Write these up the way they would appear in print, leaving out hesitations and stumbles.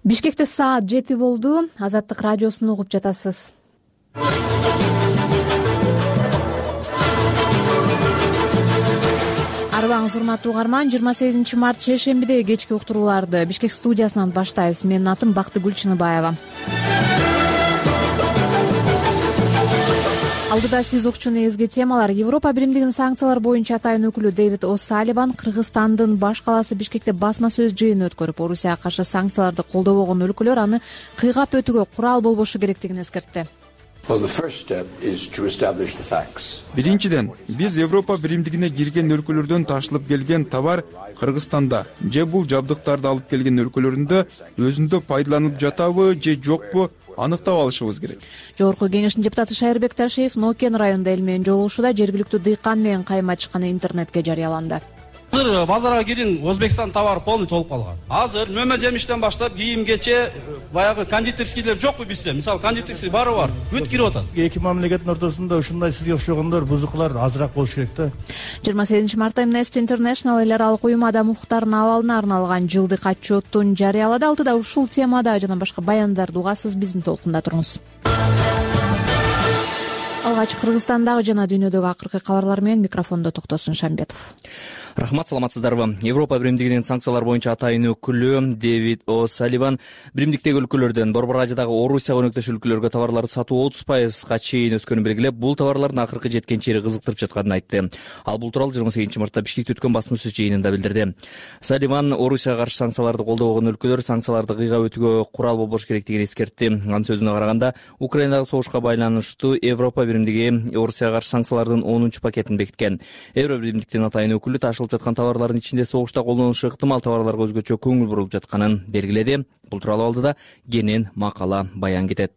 Бишкекте саат 7 болду. Азаттык радиосун угуп жатасыз. Арыбаңыз урматтуу угарман. 28 март шейшембидеги кечки уктурууларды Бишкек студиясынан баштайбыз. Менин атым Бактыгүл Чыныбаева. Алдыда сиз укчу негизги темалар. Европа биримдигинин санкциялар боюнча атайын өкүлү Дэвид О'Салливан Кыргызстандын баш калаасы Бишкекте басма сөз жыйын өткөрүп, Орусияга каршы санкцияларды колдобогон өлкөлөр аны кыйгап өтүүгө курал болбошу керектигин эскертти. Биринчиден, биз Европа биримдигине кирген өлкөлөрдөн ташылып келген товар Кыргызстанда же бул жабдыктарды алып келген өлкөлөрүндө өзүндө пайдаланылып жатабы же жокпу аныктап алышыбыз керек. Жогорку кеңештин депутаты Шайырбек Ташиев Нокен районунда эл менен жолугушууда жергиликтүү дыйкан менен кайма чыкканы интернетке жарыяланды. Азыр базарга кирин, Өзбекстан товары полный толуп калган. Азыр мөмө жемиштен баштап кийимгече баягы кондитерскийлер жокпу бизде? Мисалы кондитерский бары бар, бүт кирип атат. Эки мамлекеттин ортосунда ушундай сизге окшогондор бузукулар азыраак болуш керек да. 28 мартта Amnesty International эл аралык уюм адам укуктарынын абалына арналган жылдык отчетун жарыялады. Алтыда ушул темада жана башка баяндарды угасыз, биздин толкунда туруңуз. Алгач Кыргызстандагы жана дүйнөдөгү акыркы кабарлар менен микрофондо Токтосун Шамбетов. Рахмат, саламатсыздарбы. Европа биримдигинин санкциялар боюнча атайын өкүлү Дэвид О'Салливан биримдиктеги өлкөлөрдөн Борбор Азиядагы Орусияга өнөктөш өлкөлөргө товарларды сатуу 30%га чейин өскөнүн белгилеп, бул товарлардын акыркы жеткен чери кызыктырып жатканын айтты. Ал бул тууралуу 28 мартта Бишкекте өткөн басма сөз жыйынында билдирди. Салливан Орусияга каршы санкцияларды колдобогон өлкөлөр санкцияларды кыйгап өтүүгө курал болбош керектигин эскертти. Анын сөзүнө караганда, Украинадагы согушка байланыштуу Европа биримдиги Орусияга каршы санкциялардын 10-пакетин бекиткен. Евро биримдиктин атайын өкүлү ташылып жаткан товарлардын ичинде согушта колдонулушу ыктымал товарларга өзгөчө көңүл бурулуп жатканын белгиледи. Бул тууралуу алдыда кенен макала баян кетет.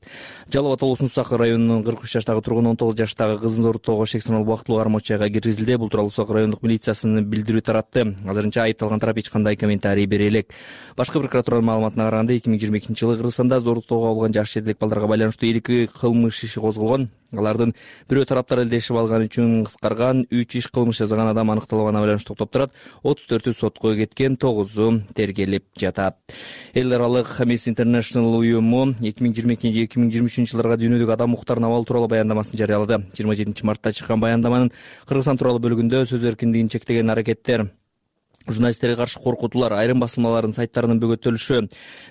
Жалал Абад облусунун Сакы районунун 43 жаштагы тургуну 19 жаштагы кызын зооруктоого шек саналуу убактылуу кармоочуга киргизилди. Бул тууралуу Сакы райондук милициясынын билдирүү таратты. Азырынча айыпталган тарап эч кандай комментарий бере элек. Башкы прокуратуранын маалыматына караганда 2022 жылы Кыргызстанда зооруктоого алган жаш жетелек балдарга байланыштуу 2 кылмыш иши козголгон. Алардын бирөө тараптар элдешип алган үчүн кыскарган, 3 иш кылмыш жасаган адам аныкталганы байланыштуу топтурат. 34-ü сотко кеткен, 9-у тергелип жатат. Эл аралык Amnesty International уюму 2022-2023 жылдарга дүйнөдөгү адам укуктарынын абалы тууралуу баяндамасын жарыялады. 27 мартта чыккан баяндаманын Кыргызстан тууралуу бөлүгүндө сөз эркиндигин чектеген аракеттер, журналисттерге каршы коркутуулар, айрым басылмалардын сайттарынын бөгөттөлүшү,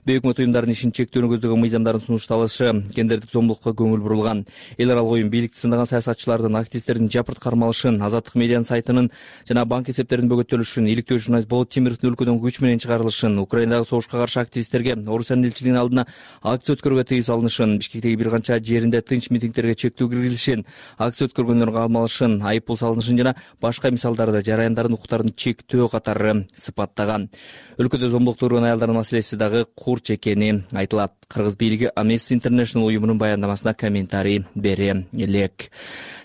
бейөкмөт уюмдардын ишин чектөөнү көздөгөн мыйзамдардын сунушталышы, гендердик зомбулукка көңүл бурулган. Эл аралык уюм бийликти сындаган саясатчылардын, активисттердин жапырт кармалышын, Азаттык медианын сайтынын жана банк эсептеринин бөгөттөлүшүн, иликтөө журналист Болот Темировдун өлкөдөн күч менен чыгарылышын, Украинадагы согушка каршы активисттерге Орусиянын элчилигинин алдына акция өткөрүүгө тыюу салынышын, Бишкектеги бир канча жеринде тынч митингтерге чектөө киргизилишин, акция өткөргөндөргө камалышын, айып пул салынышын жана башка мисалдарды жарандардын укуктарын чектөө катары сыпаттаган. Өлкөдө зомбулукту көргөн аялдардын маселеси дагы курч экени айтылат. Кыргыз бийлиги Amnesty International уюмунун баяндамасына комментарий бере элек.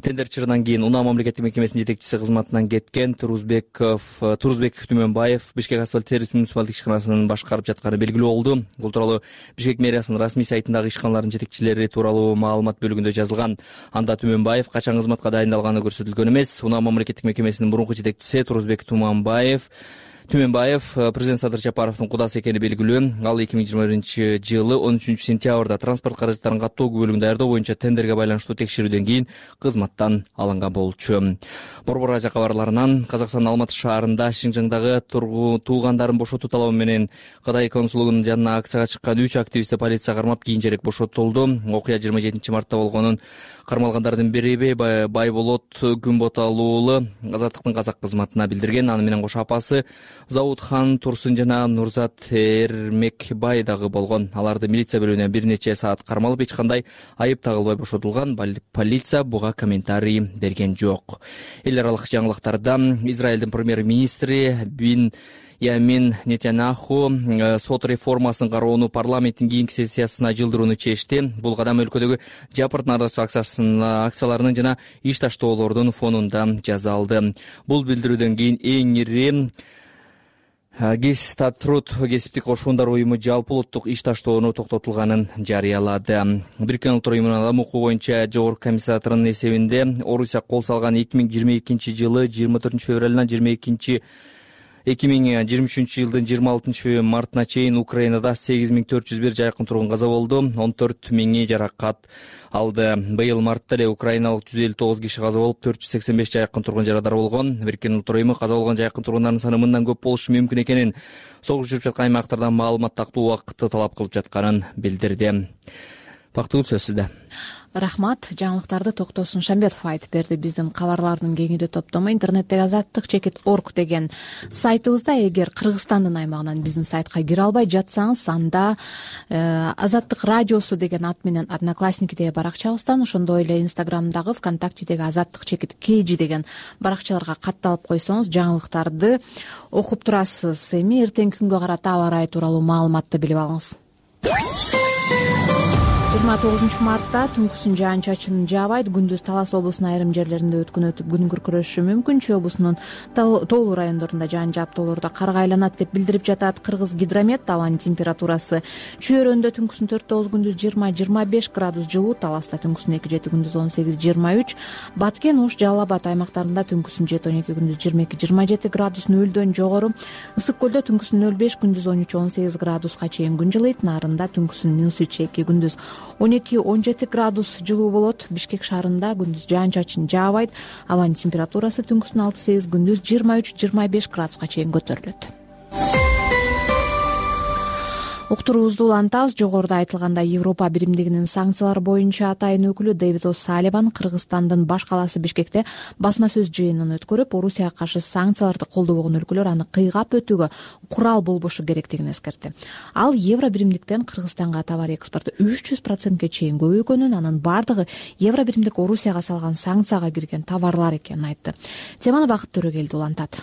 Тендер чырынан кийин Унаа мамлекеттик мекемесинин жетекчиси кызматынан кеткен Турузбек Түмөнбаев Бишкек асфальт сервис муниципалдык ишканасынын башкарып жатканы белгилүү болду. Бул тууралуу Бишкек мэриясынын расмий сайтындагы ишканалардын жетекчилери тууралуу маалымат бөлүгүндө жазылган. Анда Түмөнбаев качан кызматка дайындалганы көрсөтүлгөн эмес. Унаа мамлекеттик мекемесинин мурунку жетекчиси Турузбек Түмөнбаев президент Садыр Жапаровдун кудасы экени белгилүү. Ал 2021 жылы 13 сентябрда транспорт каражаттарын каттоо бөлүгүн даярдоо боюнча тендерге байланыштуу текшерүүдөн кийин кызматтан алынган болчу. Борбор Азия кабарларынан Казакстандын Алматы шаарында Шинжаңдагы туугандарын бошотуу талабы менен Кытай консулугунун жанына акцияга чыккан 3 активистти полиция кармап кийинчерээк бошотулду. Окуя 27 мартта болгонун кармалгандардын бири Байболот Күнботалуулу Азаттыктын казак кызматына билдирген. Аны менен кошо апасы Заудхан Турсун жана Нурзат Эрмекбай дагы болгон. Аларды милиция бөлүмүнө бир нече саат кармалып, эч кандай айып тагылбай бошотулган. Полиция буга комментарий берген жок. Эл аралык жаңылыктарда Израилдин премьер-министри Ямин Нетаньяху сот реформасын кароону парламенттин кийинки сессиясына жылдырууну чечти. Бул кадам өлкөдөгү жапырт нааразычылык акцияларынын жана иш таштоолордун фонунда жасалды. Бул билдирүүдөн кийин эң ири Гестатруд кесиптик кошундар уюму жалпы улуттук иш таштоону токтотулганын жарыялады. Бириккен Улуттар уюмунун адам укугу боюнча жогорку комиссариатынын эсебинде Орусия кол салган 2022 жылы 24 февралынан 22 2023 жылдын 26 мартына чейин Украинада 8401 жайкын тургун каза болду, 14 миңи жаракат алды. Быйыл мартта эле украиналык 159 киши каза болуп, 485 жайкын тургун жарадар болгон. Бириккен Улуттар уюму каза болгон жайкын тургундардын саны мындан көп болушу мүмкүн экенин, согуш жүрүп жаткан аймактардан маалымат тактуу убакытты талап кылып жатканын билдирди. Бактыгүл, сөз сизде. Рахмат. Жаңылыктарды Токтосун Шамбетов айтып берди. Биздин кабарлардын кеңири топтому интернеттеги azattik.org деген сайтыбызда, эгер Кыргызстандын аймагынан биздин сайтка кире албай жатсаңыз, анда Азаттык радиосу деген ат менен Одноклассникидеги баракчабыздан, ошондой эле Инстаграмдагы, ВКонтактедеги azattik_kg деген баракчаларга катталып койсоңуз, жаңылыктарды окуп турасыз. Эми эртеңки күнгө карата аба ырайы тууралуу маалыматты билип алыңыз. 29 мартта түнкүсүн жаан-чачын жаабайт. Күндүз Талас облусунун айрым жерлеринде өткөн өтүп күн күркүрөшүшү мүмкүн. Чүй облусунун тоолуу райондорунда жаан жаап, тоолордо кар айланат деп билдирип жатат Кыргыз гидромет. Абанын температурасы Чүй өрөөнүндө түнкүсүн 4-9, күндүз 20-25 градус жылуу, Таласта түнкүсүн 2-7, күндүз 18-23, Баткен, Ош, Жалал Абад аймактарында түнкүсүн 7-12, күндүз 22-27 градус, нөлдөн жогору. Ысык көлдө түнкүсүн 0-5, күндүз 13-18 градуска чейин күн жылыйт. Нарында түнкүсүн -3-2, күндүз 12-17 градус жылуу болот. Бишкек шаарында күндүз жаан-чачын жаабайт. Абанын температурасы түнкүсүн 6-8, күндүз 23-25 градуска чейин көтөрүлөт. Уктуруубузду улантабыз. Жогоруда айтылгандай, Европа биримдигинин санкциялар боюнча атайын өкүлү Дэвид О'Салливан Кыргызстандын баш калаасы Бишкекте басма сөз жыйынын өткөрүп, Орусияга каршы санкцияларды колдобогон өлкөлөр аны кыйгап өтүүгө курал болбошу керектигин эскертти. Ал евро биримдиктен Кыргызстанга товар экспорту 300%-ке чейин көбөйгөнүн, анын бардыгы евро биримдик Орусияга салган санкцияга кирген товарлар экенин айтты. Теманы Бакыт Төрөгелди улантат.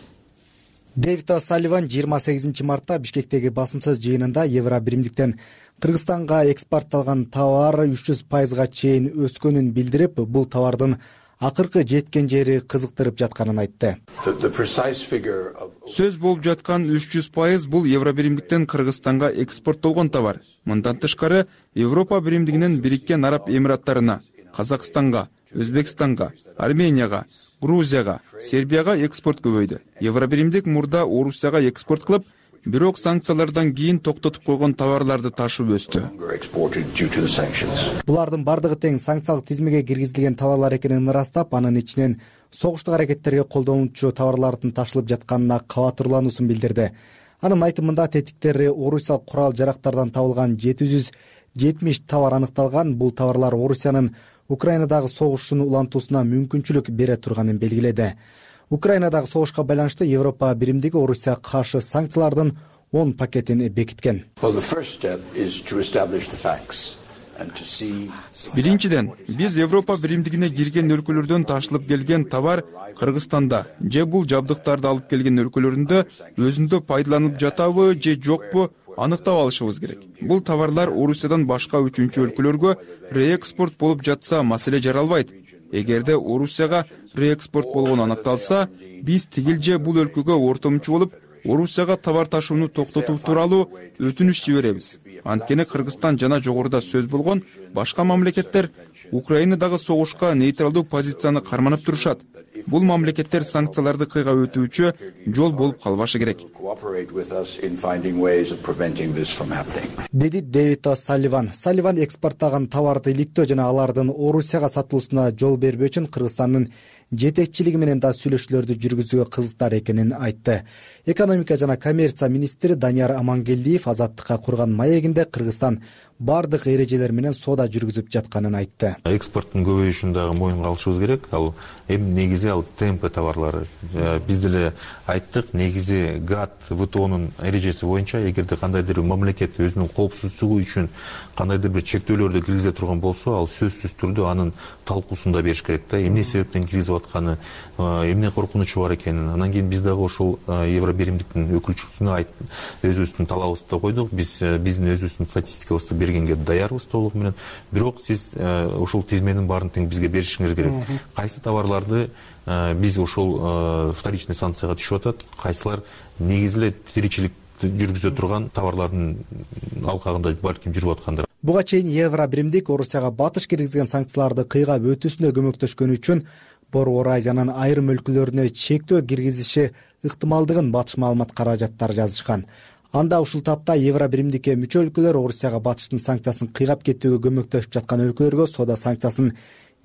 Дэвид О'Салливан 28 мартта Бишкектеги басым сөз жыйынында евро биримдиктен Кыргызстанга экспортталган товар 300%-га чейин өскөнүн билдирип, бул товардын акыркы жеткен жери кызыктырып жатканын айтты. Сөз болуп жаткан 300% бул евро биримдиктен Кыргызстанга экспорттолгон товар. Мындан тышкары, Европа биримдигинен Бириккен Араб Эмираттарына, Казакстанга, Өзбекстанга, Арменияга, Грузияга, Сербияга экспорт көбөйдү. Евро биримдик мурда Орусияга экспорт кылып, бирок санкциялардан кийин токтотуп койгон товарларды ташып өстү. Булардын бардыгы тең санкциялык тизмеге киргизилген товарлар экенин ырастап, анын ичинен согуштук аракеттерге колдонуучу товарлардын ташылып жатканына кабатырлануусун билдирди. Анын айтымында, тетиктери орусиялык курал жарактардан табылган 770 товар аныкталган. Бул товарлар Орусиянын Украинадагы согушун улантуусуна мүмкүнчүлүк бере турганын белгиледи. Украинадагы согушка байланыштуу Европа биримдиги Орусияга каршы санкциялардын 10 пакетин бекиткен. Биринчиден, биз Европа биримдигине кирген өлкөлөрдөн ташылып келген товар Кыргызстанда же бул жабдыктарды алып келген өлкөлөрүндө өзүндө пайдаланылып жатабы же жокпу аныктап алышыбыз керек. Бул товарлар Орусиядан башка үчүнчү өлкөлөргө реэкспорт болуп жатса, маселе жаралбайт. Эгерде Орусияга реэкспорт болгону аныкталса, биз тигил бул өлкөгө ортомчу болуп, Орусияга товар ташууну токтотуу тууралуу өтүнүч жиберебиз. Анткени Кыргызстан жана жогоруда сөз болгон башка мамлекеттер Украинадагы согушка нейтралдуу позицияны карманып турушат. Бул мамлекеттер санкцияларды кыйгап өтүүчү жол болуп калбашы керек, деди Дэвид О'Салливан. Салливан экспорттаган товарды иликтөө жана алардын Орусияга сатылуусуна жол бербөө үчүн Кыргызстандын жетекчилиги менен да сүйлөшүүлөрдү жүргүзүүгө кызыктар экенин айтты. Экономика жана коммерция министри Данияр Амангелдиев Азаттыкка курган маегинде Кыргызстан бардык эрежелер менен соода жүргүзүп жатканын айтты. Экспорттун көбөйүшүн дагы моюнга алышыбыз керек. Ал эми негизи ТМП товарлары. Биз деле айттык, негизи ГАТТ, ВТОнун эрежеси боюнча эгерде кандайдыр бир мамлекет өзүнүн коопсуздугу үчүн кандайдыр бир чектөөлөрдү киргизе турган болсо, ал сөзсүз түрдө анын талкуусун да бериш керек да. Эмне себептен киргизип атканы, эмне коркунучу бар экенин. Анан кийин биз дагы ошол евро биримдиктин өкүлчүлүгүнө өзүбүздүн талабыбызды койдук. Биздин өзүбүздүн статистикабызды бергенге даярбыз толук менен. Бирок сиз ошол тизменин баарын тең бизге беришиңиз керек. Кайсы товарларды биз ошол вторичный санкцияга түшүп атат, кайсылар негизи эле тиричилик жүргүзө турган товарлардын алкагында балким жүрүп аткандыр. Буга чейин евро биримдик Орусияга батыш киргизген санкцияларды кыйгап өтүүсүнө көмөктөшкөнү үчүн Борбор Азиянын айрым өлкөлөрүнө чектөө киргизиши ыктымалдыгын батыш маалымат каражаттары жазышкан. Анда ушул тапта евро биримдикке мүчө өлкөлөр Орусияга батыштын санкциясын кыйгап кетүүгө көмөктөшүп жаткан өлкөлөргө соода санкциясын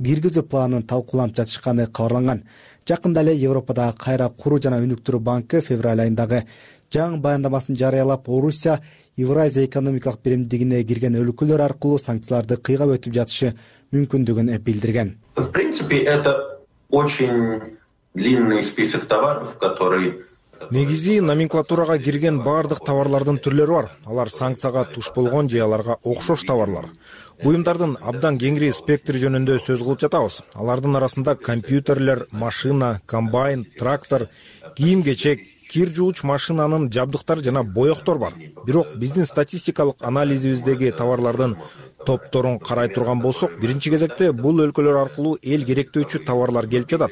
киргизүү планын талкууланып жатышканы кабарланган. Жакында эле Европадагы кайра куруу жана өнүктүрүү банкы февраль айындагы жаңы баяндамасын жарыялап, Орусия Евразия экономикалык биримдигине кирген өлкөлөр аркылуу санкцияларды кыйгап өтүп жатышы мүмкүндүгүн билдирген. В принципе, это очень длинный список товаров, который... Негизи номенклатурага кирген баардык товарлардын түрлөрү бар. Алар санкцияга туш болгон же аларга окшош товарлар. Буюмдардын абдан кеңири спектри жөнүндө сөз кылып жатабыз. Алардын арасында компьютерлер, машина, комбайн, трактор, кийим-кечек, кир жууч машинанын жабдыктары жана боектор бар. Бирок биздин статистикалык анализибиздеги товарлардын топторун карай турган болсок, биринчи кезекте бул өлкөлөр аркылуу эл керектөөчү товарлар келип жатат.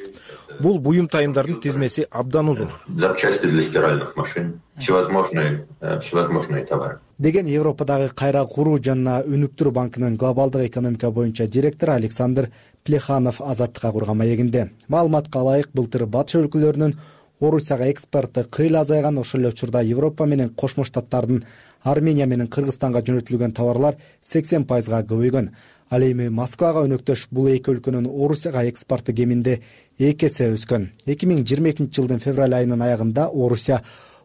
Бул буюм тайымдардын тизмеси абдан узун. Запчасти для стиральных машин, всевозможные товары. Деген Европадагы кайра куруу жана өнүктүрүү банкынын глобалдык экономика боюнча директору Александр Плеханов Азаттыкка курган маегинде. Маалыматка ылайык, былтыр батыш өлкөлөрүнүн Орусияга экспорты кыйла азайган. Ошол эле учурда Европа менен Кошмо Штаттардын Армения менен Кыргызстанга жөнөтүлгөн товарлар 80%га көбөйгөн. Ал эми Москвага өнөктөш бул эки өлкөнүн Орусияга экспорты кеминде 2 эсе өскөн. 2022 жылдын февраль айынын аягында Орусия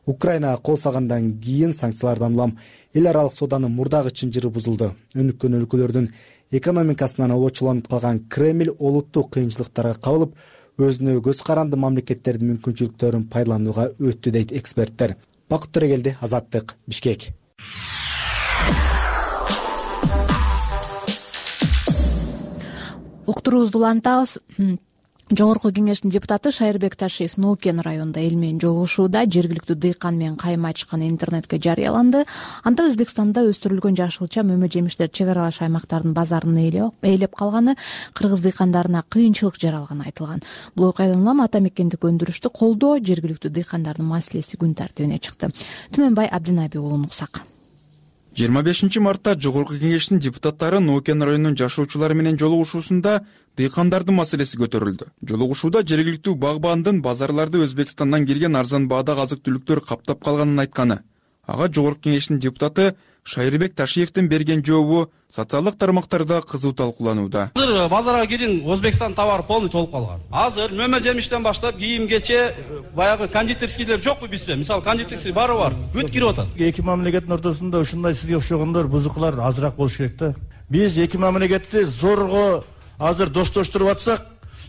Украинага кол салгандан кийин санкциялардан улам эл аралык соодонун мурдагы чынжыры бузулду. Өнүккөн өлкөлөрдүн экономикасынан обочолонуп калган Кремль олуттук кыйынчылыктарга кабылып, өзүнө көз каранды мамлекеттердин мүмкүнчүлүктөрүн пайдаланууга өттү дейт эксперттер. Бакыт Төрегелди, Азаттык, Бишкек. Уктуруубузду улантабыз. Жогорку кеңештин депутаты Шайырбек Ташиев Ноокен районунда эл менен жолугушууда жергиликтүү дыйкан менен кайым ачканы интернетке жарыяланды. Анда Өзбекстанда өстүрүлгөн жашылча мөмө жемиштер чек аралаш аймактардын базарын ээлеп калганы, кыргыз дыйкандарына кыйынчылык жаралганы айтылган. Бул окуядан улам ата мекендик өндүрүштү колдоо жергиликтүү дыйкандардын маселеси күн тартибине чыкты. Түмөнбай Абдинаби уулун уксак. 25 мартта Жогорку кеңештин депутаттары Ноокен районунун жашоочулары менен жолугушуусунда дыйкандардын маселеси көтөрүлдү. Жолугушууда жергиликтүү багбандын базарларды Өзбекстандан кирген арзан баадагы азык-түлүктөр каптап калганын айтканы. Ага Жогорку кеңештин депутаты Шайырбек Ташиевдин берген жообу социалдык тармактарда кызуу талкууланууда. Азыр базарга кирин Өзбекстан товары полный толуп калган. Азыр мөмө жемиштен баштап кийим-кече, баягы кондитерскийлер жокпу бизде? Мисалы кондитерский баары бар, бүт кирип атат. Эки мамлекеттин ортосунда ушундай сизге окшогондор бузукулар азыраак болуш керек да. Биз эки мамлекетти зорго азыр достоштуруп атсак,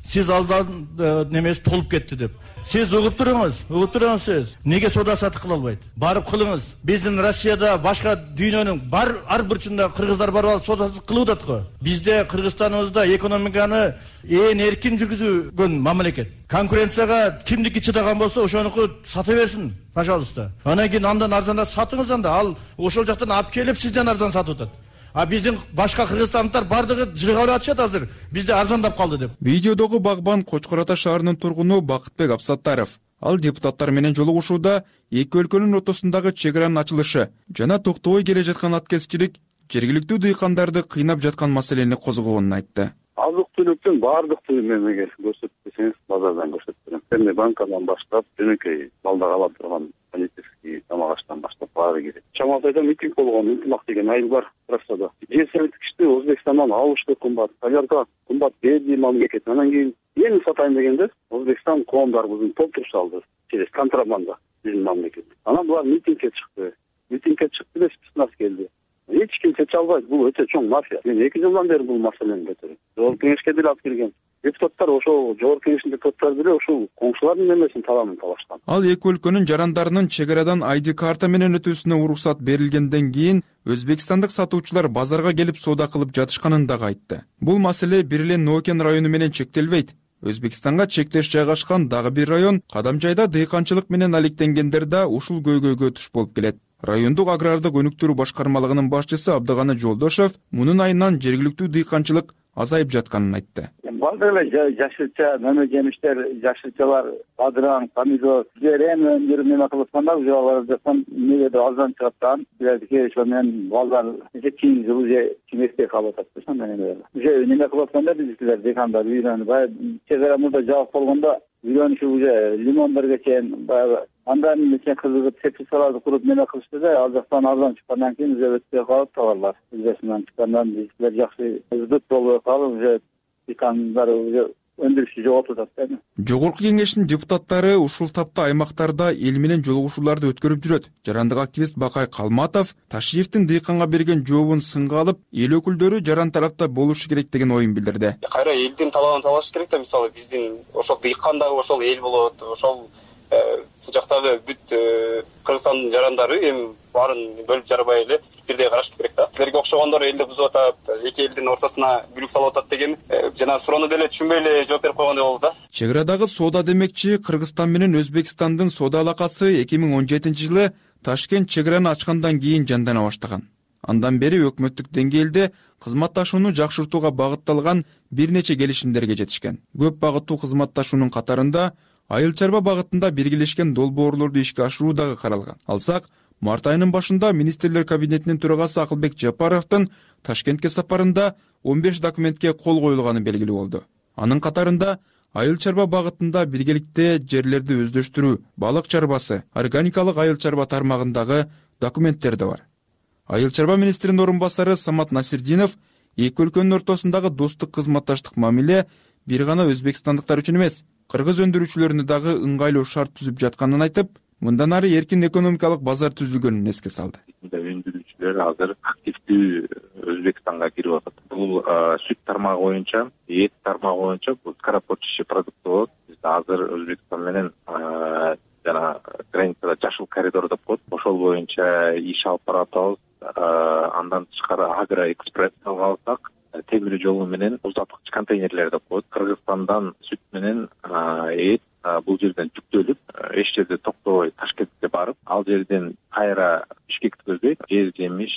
сиз алдан немеси толуп кетти деп. Сиз угуп туруңуз сиз. Неге соода сатык кыла албайт? Барып кылыңыз. Биздин Россияда башка дүйнөнүн ар бурчунда кыргыздар барып алып соода сатык кылып атат го. Бизде Кыргызстаныбызда экономиканы ээн эркин жүргүзгөн мамлекет. Конкуренцияга кимдики чыдаган болсо ошонуку сата берсин, пожалуйста. Анан кийин андан арзандаак сатыңыз анда. Ал ошол жактан алып келип сизден арзан сатып атат. А биздин башка кыргызстандыктар бардыгы жыргалап атышат азыр. Бизде арзандап калды деп. Видеодогу багбан Кочкор Ата шаарынын тургуну Бакытбек Абсаттаров. Ал депутаттар менен жолугушууда эки өлкөнүн ортосундагы чек аранын ачылышы жана токтобой келе жаткан аткезчилик жергиликтүү дыйкандарды кыйнап жаткан маселени козгогонун айтты. Азык-түлүктүн баардык мемлекет көрсөтүп десеңиз, базардан көрсөтүп берем. Эмне банкадан баштап, жөнөкөй балдар ала турган кондитерский тамак аштан баштап баары кирет. Чамалып айтам, митинг болгон, интимак деген айыл бар трассада. Жер сериктикичти Өзбекстандан алыш да кымбат, аларга кымбат берди мамлекет. Анан кийин эми сатайын дегенде Өзбекстан коомдарыбыздын толтуруп салды. Через контрабанда биздин мамлекет. Анан булар митингге чыкты. Митингге чыкты да спецназ келди. Эч ким чече албайт, бул өтө чоң мафия. Мен 2 жылдан бери бул маселени көтөрөм. Жогорку кеңешке деле алып келген. Депутаттар ошол Жогорку кеңештин депутаттары деле ушул коңшулардын немесин талабын талашкан. Ал эки өлкөнүн жарандарынын чек арадан ID карта менен өтүүсүнө уруксат берилгенден кийин өзбекстандык сатуучулар базарга келип соода кылып жатышканын дагы айтты. Бул маселе бир эле Ноокен району менен чектелбейт. Өзбекстанга чектеш жайгашкан дагы бир район Кадамжайда дыйканчылык менен алектенгендер да ушул көйгөйгө туш болуп келет. Райондук агрардык өнүктүрүү башкармалыгынын башчысы Абдыганы Жолдошов мунун айынан жергиликтүү дыйканчылык азайып жатканын айтты. Баардык эле жашылча, мөмө жемиштер, жашылчалар, бадыраң, помидор, эми өндүрүп неме кылып атканда уже алар жактан негеде аздан чыгат да. Билердики ошо менен балдар кийинки жыл уже кимекте калып атат да, менен уже неме кылып атканда биздикилер декандар үйрөнүп, баягы чегара мурда жабык болгондо үйрөнүшүп уже лимондорго чейин баягы андан мисен кызыгып теплицаларды куруп неме кылышты да, ал жактан арзан чыккандан кийин уже өтпөй калып товарлар. Өзбекстандан чыккандан биздикилер жакшы үздүк болбой калып уже декандар уже өндүрүшү жоготуп атат да. Жогорку кеңештин депутаттары ушул тапта аймактарда эл менен жолугушууларды өткөрүп жүрөт. Жарандык активист Бакай Калматов Ташиевдин дыйканга берген жообун сынга алып, эл өкүлдөрү жаран-тарапта болушу керек деген оюн билдирди. Кайра элдин талабын талаш керек да, мисалы биздин ошол дыйкан дагы ошол эл болот, ошол жактагы бүт Кыргызстандын жарандары эми баарын бөлүп жарбай эле бирдей караш керек да. Силерге окшогондор элди бузуп атат, эки элдин ортосуна бүлүк салып атат деген жана суроону деле түшүнбөй эле жооп берип койгондой болду да. Чек арадагы соода демекчи Кыргызстан менен Өзбекстандын соода алакасы 2017-жылы Ташкент чек араны ачкандан кийин жандана баштаган. Андан бери өкмөттүк деңгээлде кызматташууну жакшыртууга багытталган бир нече келишимдерге жетишкен. Көп багыттуу кызматташуунун катарында айыл чарба багытында биргелешкен долбоорлорду ишке ашыруу дагы каралган. Алсак, март айынын башында министрлер кабинетинин төрагасы Акылбек Жапаровдун Ташкентке сапарында 15 документке кол коюлганы белгилүү болду. Анын катарында айыл чарба багытында биргеликте жерлерди өздөштүрүү, балык чарбасы, органикалык айыл чарба тармагындагы документтер да бар. Айыл чарба министринин орун басары Самат Насирдинов эки өлкөнүн ортосундагы достук кызматташтык мамиле бир гана өзбекстандыктар үчүн эмес, кыргыз өндүрүүчүлөрүнө дагы ыңгайлуу шарт түзүп жатканын айтып, мындан ары эркин экономикалык базар түзүлгөнүн эске салды. Өндүрүүчүлөр азыр активдүү Өзбекстанга кирип атат. Бул сүт тармагы боюнча, эт тармагы боюнча бул скоропортчий продукт болот. Биз азыр Өзбекстан менен жана границада жашыл коридор деп коет. Ошол боюнча иш алып баратабыз. Андан тышкары агроэкспресс алсак, темир жолу менен узаткыч контейнерлер деп коет. Кыргызстандан сүт менен эт бул жерден жүктөлүп, эч жерде токтобой Ташкентке барып, ал жерден кайра Бишкекти көздөйт. Жер жемиш,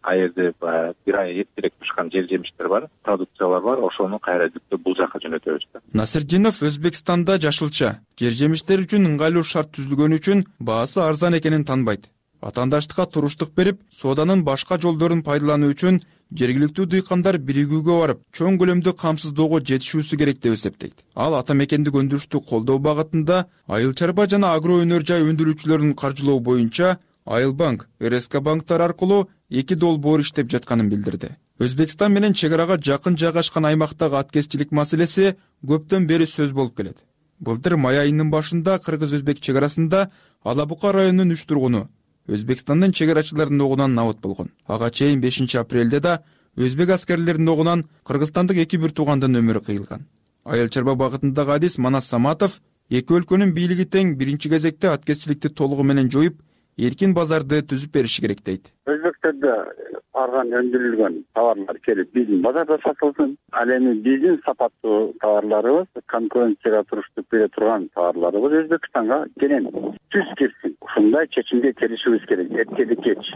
кайерде бир ай эртерээк пышкан жер жемиштер бар, продукциялар бар, ошону кайра жүктөп бул жака жөнөтөбүз. Насирдинов Өзбекстанда жашылча, жер жемиштер үчүн ыңгайлуу шарт түзүлгөнү үчүн баасы арзан экенин таанбайт. Ватандаштыкка туруштук берип, сооданын башка жолдорун пайдалануу үчүн жергиликтүү дыйкандар биригүүгө барып, чоң көлөмдүү камсыздоого жетишүүсү керек деп эсептейт. Ал ата мекендик өндүрүштү колдоо багытында айыл чарба жана агро өнөр жай өндүрүүчүлөрүн каржылоо боюнча Айыл банк, РСК банктар аркылуу 2 долбоор иштеп жатканын билдирди. Өзбекстан менен чек арага жакын жайгашкан аймактагы аткезчилик маселеси көптөн бери сөз болуп келет. Былтыр май айынын башында кыргыз-өзбек чек арасында Алабука районунун 3 тургуну Өзбекстандын чек арачыларынын огунан набыт болгон. Ага чейин 5 апрелде да өзбек аскерлеринин огунан кыргызстандык 2 бир туугандын өмүрү кыйылган. Айыл чарба багытындагы адис Манас Саматов эки өлкөнүн бийлиги тең биринчи кезекте аткезчиликти толугу менен жоюп, эркин базарды түзүп бериши керек дейт. Өзбектерде арган өндүрүлгөн товарлар келип биздин базарда сатылсын. Ал эми биздин сапаттуу товарларыбыз, конкуренцияга туруштук бере турган товарларыбыз Өзбекстанга кенен түз кирсин. Ушундай чечимге келишибиз керек, эртеди кеч.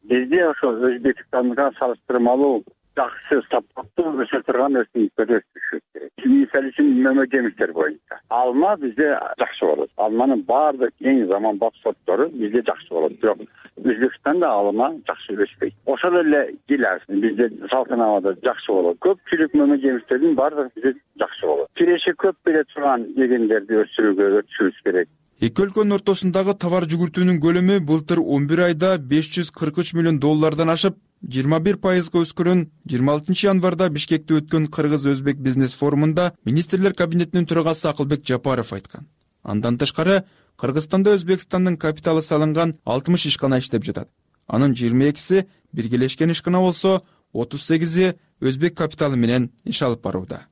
Бизде ошо Өзбекстанга салыштырмалуу жакшы сапаттуу өсө турган өсүмдүктөрдү өстүрүшүбүз керек. Мисалы үчүн мөмө жемиштер боюнча алма бизде жакшы болот. Алманын баардык эң заманбап сорттору бизде жакшы болот. Бирок Өзбекстанда алма жакшы өспөйт. Ошол эле гиляс бизде Салтанабадда жакшы болот. Көпчүлүк мөмө жемиштердин баардыгы бизде жакшы болот. Киреши көп бере турган эгиндерди өсүрүүбүз керек. Эки өлкөнүн ортосундагы товар жүгүртүүнүн көлөмү былтыр 11 айда $543 миллион ашып, 21%га өскөрөн 26 январда Бишкекте өткөн Кыргыз-Өзбек бизнес форумунда министрлер кабинетинин төрагасы Акылбек Жапаров айткан. Андан тышкары Кыргызстанда Өзбекстандын капиталы салынган 60 ишкана иштеп жатат. Анын 22си биргелешкен ишкана болсо, 38и өзбек капиталы менен иш алып барууда.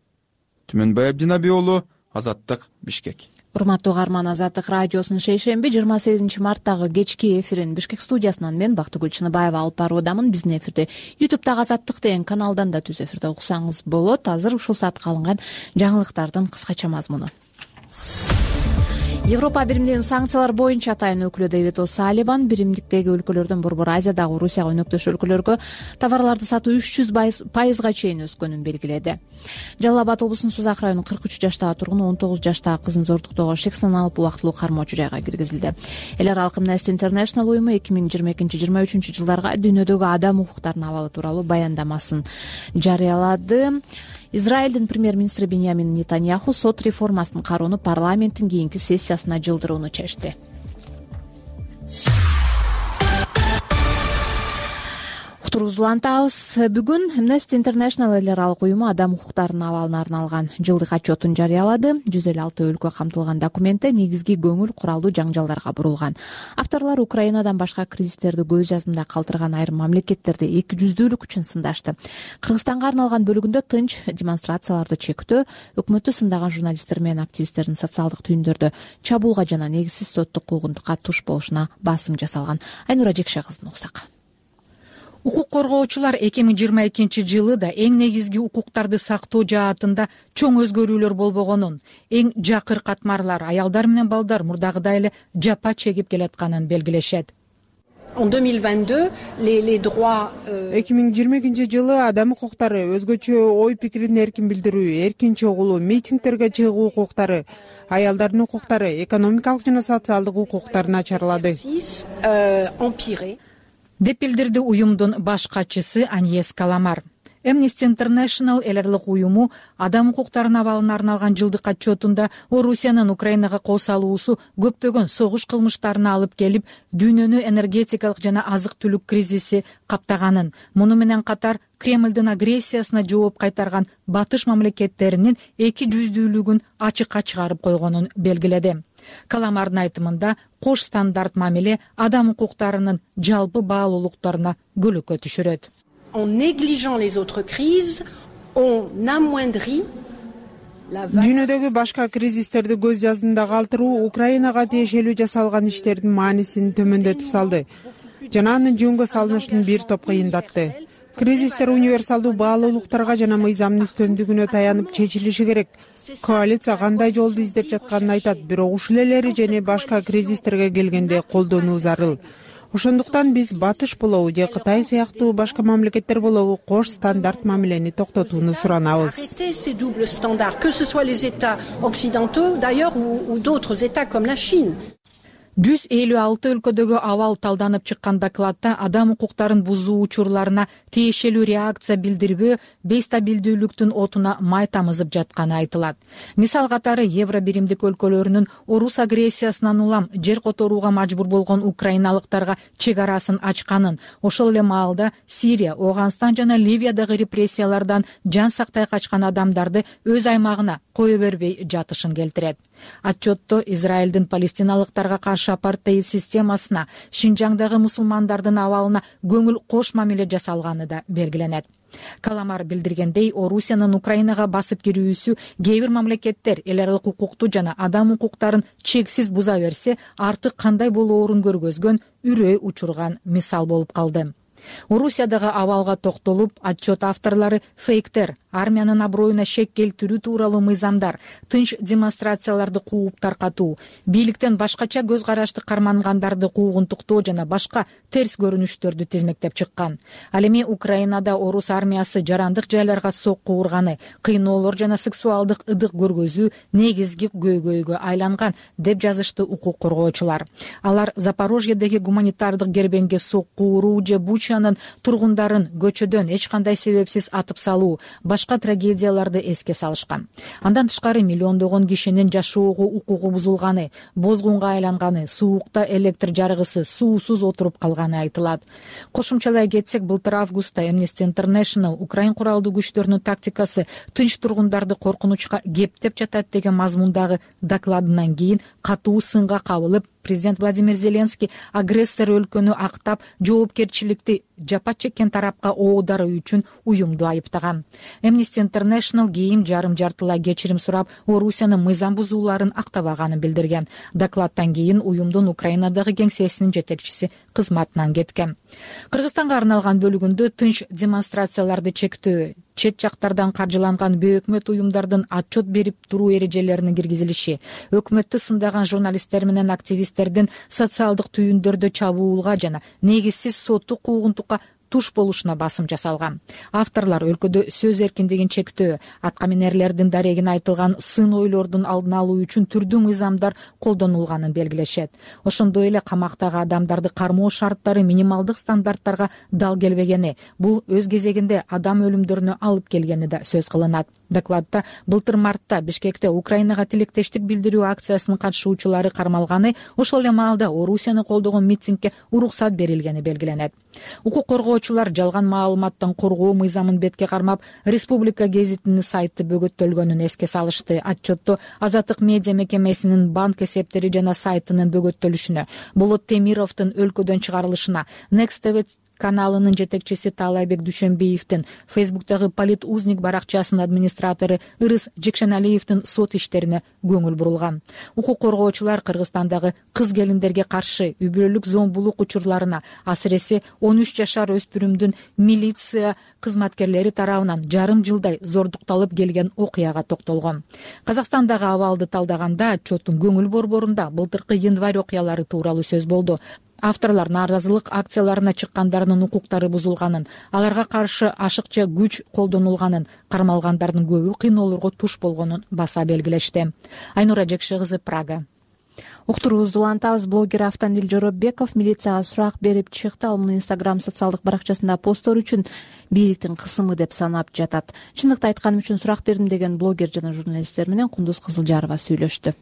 Түмөнбай Абдинаби уулу, Азаттык, Бишкек. Урматтуу угарман, Азаттык радиосунун шейшемби 28 марттагы кечки эфирин Бишкек студиясынан мен Бактыгүл Чыныбаева алып баруудамын. Биздин эфирди YouTube'дагы Азаттык деген каналдан да түз эфирде уксаңыз болот. Азыр ушул саатка алынган жаңылыктардын кыскача мазмуну. Европа биримдигинин санкциялар боюнча атайын өкүлү Дэвид О'Салливан биримдиктеги өлкөлөрдөн Борбор Азиядагы Орусияга өнөктөш өлкөлөргө товарларды сатуу 300% чейин өскөнүн белгиледи. Жалал Абад облусунун Сузак районунун 43 жаштагы тургуну 19 жаштагы кызын зордуктоого шек саналып убактылуу кармоочу жайга киргизилди. Эл аралык Amnesty International уюму 2022-23 жылдарга дүйнөдөгү адам укуктарынын абалы тууралуу баяндамасын жарыялады. Израилдин премьер-министри Биньямин Нетаньяху сот реформасын кароону парламенттин кийинки сессиясына жылдырууну чечти. Улантабыз. Бүгүн Amnesty International эл аралык уюму адам укуктарынын абалына арналган жылдык отчетун жарыялады. 156 өлкө камтылган документте негизги көңүл куралдуу жаңжалдарга бурулган. Авторлор Украинадан башка кризистерди көз жазымда калтырган айрым мамлекеттерди эки жүздүүлүк үчүн сындашты. Кыргызстанга арналган бөлүгүндө тынч демонстрацияларды чектөө, өкмөттү сындаган журналисттер менен активисттердин социалдык түйүндөрдө чабуулга жана негизсиз соттук куугунтукка туш болушуна басым жасалган. Айнура Жекше кызын уксак. Укук коргоочулар 2022 жылы да эң негизги укуктарды сактоо жаатында чоң өзгөрүүлөр болбогонун, эң жакыр катмарлар аялдар менен балдар мурдагыдай эле жапа чегип келатканын белгилешет. 2022 жылы адам укуктары, өзгөчө ой пикирин эркин билдирүү, эркин чогулуу, митингдерге чыгуу укуктары, аялдардын укуктары, экономикалык жана социалдык укуктары начарлады деп билдирди уюмдун баш катчысы Аньес Каламар. Amnesty International эл аралык уюму адам укуктарынын абалына арналган жылдык отчетунда Орусиянын Украинага кол салуусу көптөгөн согуш кылмыштарына алып келип, дүйнөнү энергетикалык жана азык-түлүк кризиси каптаганын, муну менен катар Кремлдин агрессиясына жооп кайтарган батыш мамлекеттеринин эки жүздүүлүгүн ачыкка чыгарып койгонун белгиледи. Каламардын айтымында кош стандарт мамиле адам укуктарынын жалпы баалуулуктарына көлөкө түшүрөт. En négligeant les autres crises, on amoindrit дүйнөдөгү башка кризистерди көз жаздымда калтыруу Украинага тиешелүү жасалган иштердин маанисин төмөндөтүп салды жана анын жөнгө салынышын бир топ кыйындатты. Кризистер универсалдуу баалуулуктарга жана мыйзамдын үстөмдүгүнө таянып чечилиши керек. Коалиция кандай жолду издеп жатканын айтат, бирок ушул эле эрежени башка кризистерге келгенде колдонуу зарыл. Ошондуктан биз батыш болобу же Кытай сыяктуу башка мамлекеттер болобу кош стандарт мамилени токтотууну суранабыз. Arrêter ces doubles standards, que ce soit les États occidentaux d'ailleurs ou d'autres États comme la Chine. 156 өлкөдөгү абал талданып чыккан докладта адам укуктарын бузуу учурларына тиешелүү реакция билдирбөө бейстабилдүүлүктүн отуна май тамызып жатканы айтылат. Мисал катары евро биримдик өлкөлөрүнүн орус агрессиясынан улам жер которууга мажбур болгон украиналыктарга чек арасын ачканын, ошол эле маалда Сирия, Ооганстан жана Ливиядагы репрессиялардан жан сактай качкан адамдарды өз аймагына кое бербей жатышын келтирет. Отчетто Израилдин палестиналыктарга каршы апартеид системасына, Шинжаңдагы мусулмандардын абалына көңүл кош мамиле жасалганы да белгиленет. Каламар билдиргендей, Орусиянын Украинага басып кирүүсү кээ бир мамлекеттер эл аралык укукту жана адам укуктарын чексиз буза берсе, артык кандай болоорун көргөзгөн, үрөй учурган мисал болуп калды. Орусиядагы абалга токтолуп, отчет авторлору фейктер, армиянын аброюна шек келтирүү тууралуу мыйзамдар, тынч демонстрацияларды кууп таркатуу, бийликтен башкача көз карашты кармангандарды куугунтуктоо жана башка терс көрүнүштөрдү тизмектеп чыккан. Ал эми Украинада орус армиясы жарандык жайларга сокку урганы, кыйноолор жана сексуалдык ыдык көргөзүү негизги көйгөйгө айланган деп жазышты укук коргоочулар. Алар Запорожьедеги гуманитардык кербенге сокку уруу же Бучанын тургундарын көчөдөн эч кандай себепсиз атып салуу, башка трагедияларды эске салышкан. Андан тышкары миллиондогон кишинин жашоого укугу бузулганы, бозгунга айланганы, суукта электр жарыгысыз, суусуз отуруп калганы айтылат. Кошумчалай кетсек, былтыр августта Amnesty International Украин куралдуу күчтөрүнүн тактикасы тынч тургундарды коркунучка кептеп жатат деген мазмундагы докладынан кийин катуу сынга кабылып, президент Владимир Зеленский агрессор өлкөнү актап, жоопкерчиликти жапа чеккен тарапка оодаруу үчүн уюмду айыптаган. Amnesty International кийин жарым-жартылай кечирим сурап, Орусиянын мыйзам бузууларын актабаганын билдирген. Докладтан кийин уюмдун Украинадагы кеңсесинин жетекчиси кызматынан кеткен. Кыргызстанга арналган бөлүгүндө тынч демонстрацияларды чектөө, чет жактардан каржыланган бейөкмөт уюмдардын отчет берип туруу эрежелеринин киргизилиши, өкмөттү сындаган журналисттер менен активисттердин социалдык түйүндөрдө чабуулга жана негизсиз соттук куугунтукка туш болушуна басым жасалган. Авторлар өлкөдө сөз эркиндигин чектөө, аткаминерлердин дарегине айтылган сын ойлордун алдын алуу үчүн түрдүү мыйзамдар колдонулганын белгилешет. Ошондой эле камактагы адамдарды кармоо шарттары минималдык стандарттарга дал келбегени, бул өз кезегинде адам өлүмдөрүнө алып келгени да сөз кылынат. Докладда былтыр мартта Бишкекте Украинага тилектештик билдирүү акциясынын катышуучулары кармалганы, ошол эле маалда Орусияны колдогон митингге уруксат берилгени белгиленет. Укук коргоочулар жалган маалыматтан коргоо мыйзамын бетке кармап, Республика гезитинин сайты бөгөттөлгөнүн эске салышты. Отчетто Азаттык медиа мекемесинин банк эсептери жана сайтынын бөгөттөлүшүнө, Болот Темировдун өлкөдөн чыгарылышына, Next TV каналынын жетекчиси Таалайбек Дүйшөнбиевдин, Фейсбуктагы Политузник баракчасынын администратору Ырыс Жекшеналиевдин сот иштерине көңүл бурулган. Укук коргоочулар Кыргызстандагы кыз келиндерге каршы үй бүлөлүк зомбулук учурларына, асыресе 13 жашар өспүрүмдүн милиция кызматкерлери тарабынан жарым жылдай зордукталып келген окуяга токтолгон. Казакстандагы абалды талдаганда отчеттун көңүл борборунда былтыркы январь окуялары тууралуу сөз болду. Авторлар нааразылык акцияларына чыккандардын укуктары бузулганын, аларга каршы ашыкча күч колдонулганын, кармалгандардын көбү кыйноолорго туш болгонун баса белгилешти. Айнура Жекше кызы, Прага. Уктуруубузду улантабыз. Блогер Автандил Жоробеков милицияга сурак берип чыкты. Ал муну Instagram социалдык баракчасында посттор үчүн бийликтин кысымы деп санап жатат. Чындыкты айтканым үчүн сурак бердим деген блогер жана журналисттер менен Кундуз Кызылжарова сүйлөштү.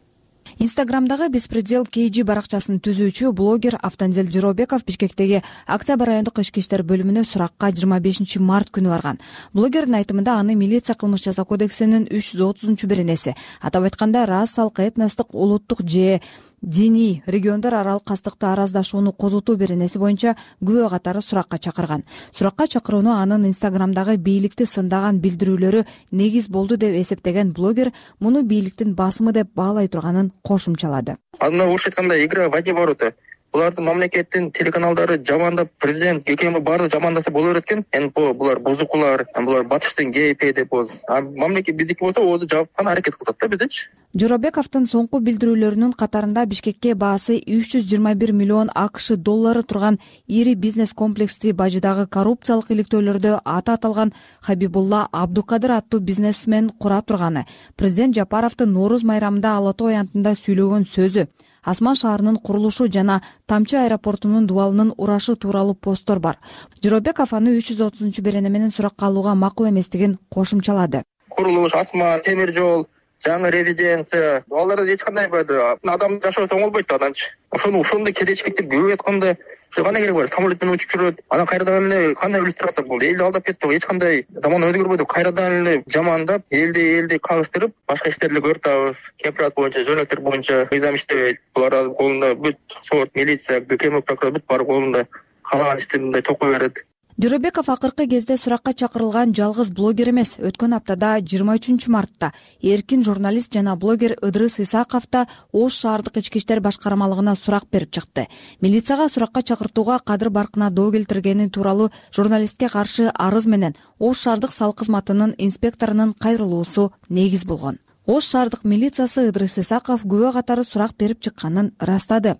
Инстаграмдагы Беспредел KG баракчасын түзүүчү блогер Автандил Жоробеков Бишкектеги Октябрь райондук ички иштер бөлүмүнө суракка 25 март күнү барган. Блогердин айтымында аны милиция кылмыш жаза кодексинин 330-беренеси, атап айтканда расалык, этностук, улуттук же диний региондор аралык кастыкты араздашууну козотуу беренеси боюнча күбө катары суракка чакырган. Суракка чакырууну анын Инстаграмдагы бийликти сындаган билдирүүлөрү негиз болду деп эсептеген блогер муну бийликтин басымы деп баалай турганын кошумчалады. Аны орусча айтканда игра в одни ворота. Булардын мамлекеттин телеканалдары жамандап, президент ККМ баары жамандаса боло берет экен. НПО булар бузукулар, булар батыштын ГП деп болду. Мамлекет биздики болсо өзү жапкан аракет кылат да биздечи. Жоробековдун соңку билдирүүлөрүнүн катарында Бишкекке баасы 321 миллион АКШ доллары турган ири бизнес комплексти бажыдагы коррупциялык иликтөөлөрдө аты аталган Хабибулла Абдукадыр аттуу бизнесмен кура турганы, президент Жапаровдун Нооруз майрамында Ала Тоо аянтында сүйлөгөн сөзү, Асман шаарынын курулушу жана Тамчы аэропортунун дубалынын урашы тууралуу посттор бар. Жоробеков аны 330-берене менен суракка алууга макул эместигин кошумчалады. Курулуш, Асман, темир жол, жаңы резиденция, аларды эч кандай адам жашоосо оңолбойт да ананчы. Ошондой кедейчиликти көбөйүп атканда кандай керек бар? Самолет менен учуп жүрөт. Анан кайрадан эле кандай иллюстрация болду? Элди алдап кетти, эч кандай заман өзгөрбөдү. Кайрадан эле жамандап, элди кагыштырып, башка иштерди көрүп кепрат боюнча, жөнөктөр боюнча мыйзам иштебейт. Булардын колунда бүт сот, милиция, ГКМ прокурор бүт баары колунда каалаган ишти мындай токой берет. Жоробеков акыркы кезде суракка чакырылган жалгыз блогер эмес. Өткөн аптада 23 мартта эркин журналист жана блогер Ыдрыс Исаков да Ош шаардык ички иштер башкармалыгына сурак берип чыкты. Милицияга суракка чакыртууга кадыр баркына доо келтиргени тууралуу журналистке каршы арыз менен Ош шаардык салык кызматынын инспекторунун кайрылуусу негиз болгон. Ош шаардык милициясы Ыдрыс Исаков күбө катары сурак берип чыкканын ырастады.